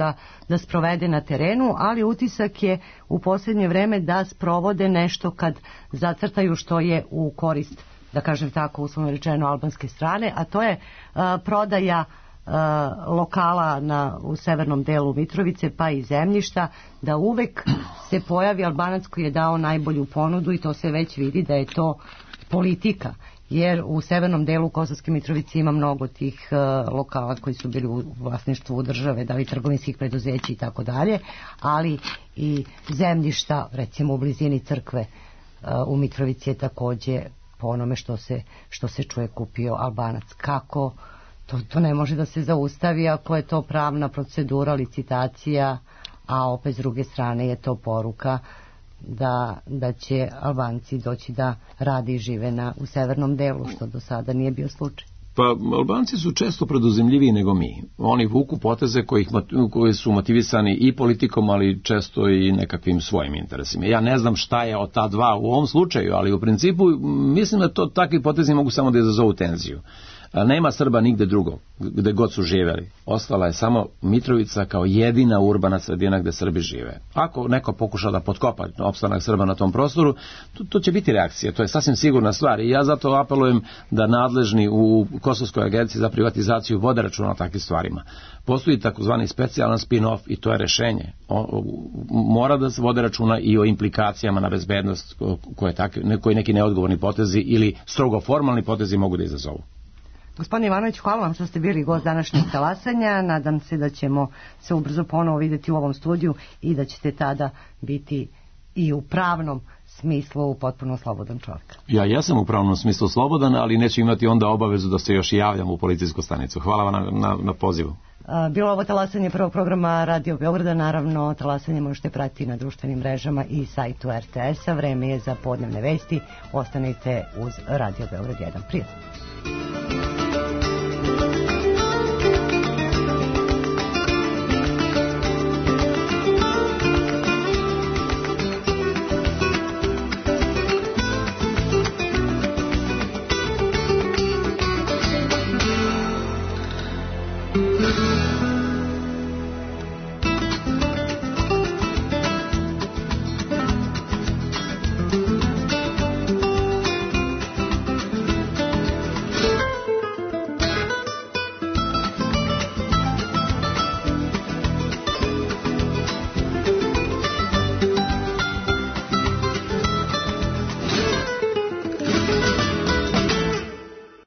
da sprovede na terenu, ali utisak je u posljednje vreme da sprovode nešto kad zacrtaju što je u korist, da kažem tako, uslovno rečeno, albanske strane, a to je prodaja lokala u severnom delu Mitrovice pa i zemljišta, da uvek se pojavi Albanac koji je dao najbolju ponudu i to se već vidi da je to politika. Jer u severnom delu Kosovske Mitrovice ima mnogo tih lokala koji su bili u vlasništvu države, da li trgovinskih preduzeća i tako dalje, ali i zemljišta, recimo u blizini crkve u Mitrovici je takođe po onome što se čuje kupio Albanac. Kako? To ne može da se zaustavi ako je to pravna procedura, licitacija, a opet s druge strane je to poruka da će Albanci doći da rade i žive u severnom delu, što do sada nije bio slučaj. Pa Albanci su često preduzimljiviji nego mi. Oni vuku poteze koji su motivisani i politikom, ali često i nekakvim svojim interesima. Ja ne znam šta je od ta dva u ovom slučaju, ali u principu mislim da takvi potezi mogu samo da izazovu tenziju. Nema Srba nigde drugo, gde god su živjeli. Ostala je samo Mitrovica kao jedina urbana sredina gde Srbi žive. Ako neko pokuša da potkopa opstanak Srba na tom prostoru, to će biti reakcija. To je sasvim sigurna stvar. I ja zato apelujem da nadležni u Kosovskoj agenciji za privatizaciju vode računa o takvim stvarima. Postoji takozvani specijalan spin-off i to je rešenje. Mora da se vode računa i o implikacijama na bezbednost koje neki neodgovorni potezi ili strogo formalni potezi mogu da izazovu. Gospodine Ivanović, hvala vam što ste bili gost današnjeg talasanja. Nadam se da ćemo se ubrzo ponovo vidjeti u ovom studiju i da ćete tada biti i u pravnom smislu potpuno slobodan čovjek. Ja jesam u pravnom smislu slobodan, ali neću imati onda obavezu da se još i javljam u policijsku stanicu. Hvala vam na pozivu. Bilo ovo talasanje prvog programa Radio Beograda. Naravno, talasanje možete pratiti na društvenim mrežama i sajtu RTS-a. Vreme je za podnevne vesti. Ostanite uz Radio Beograd 1. Prijatno.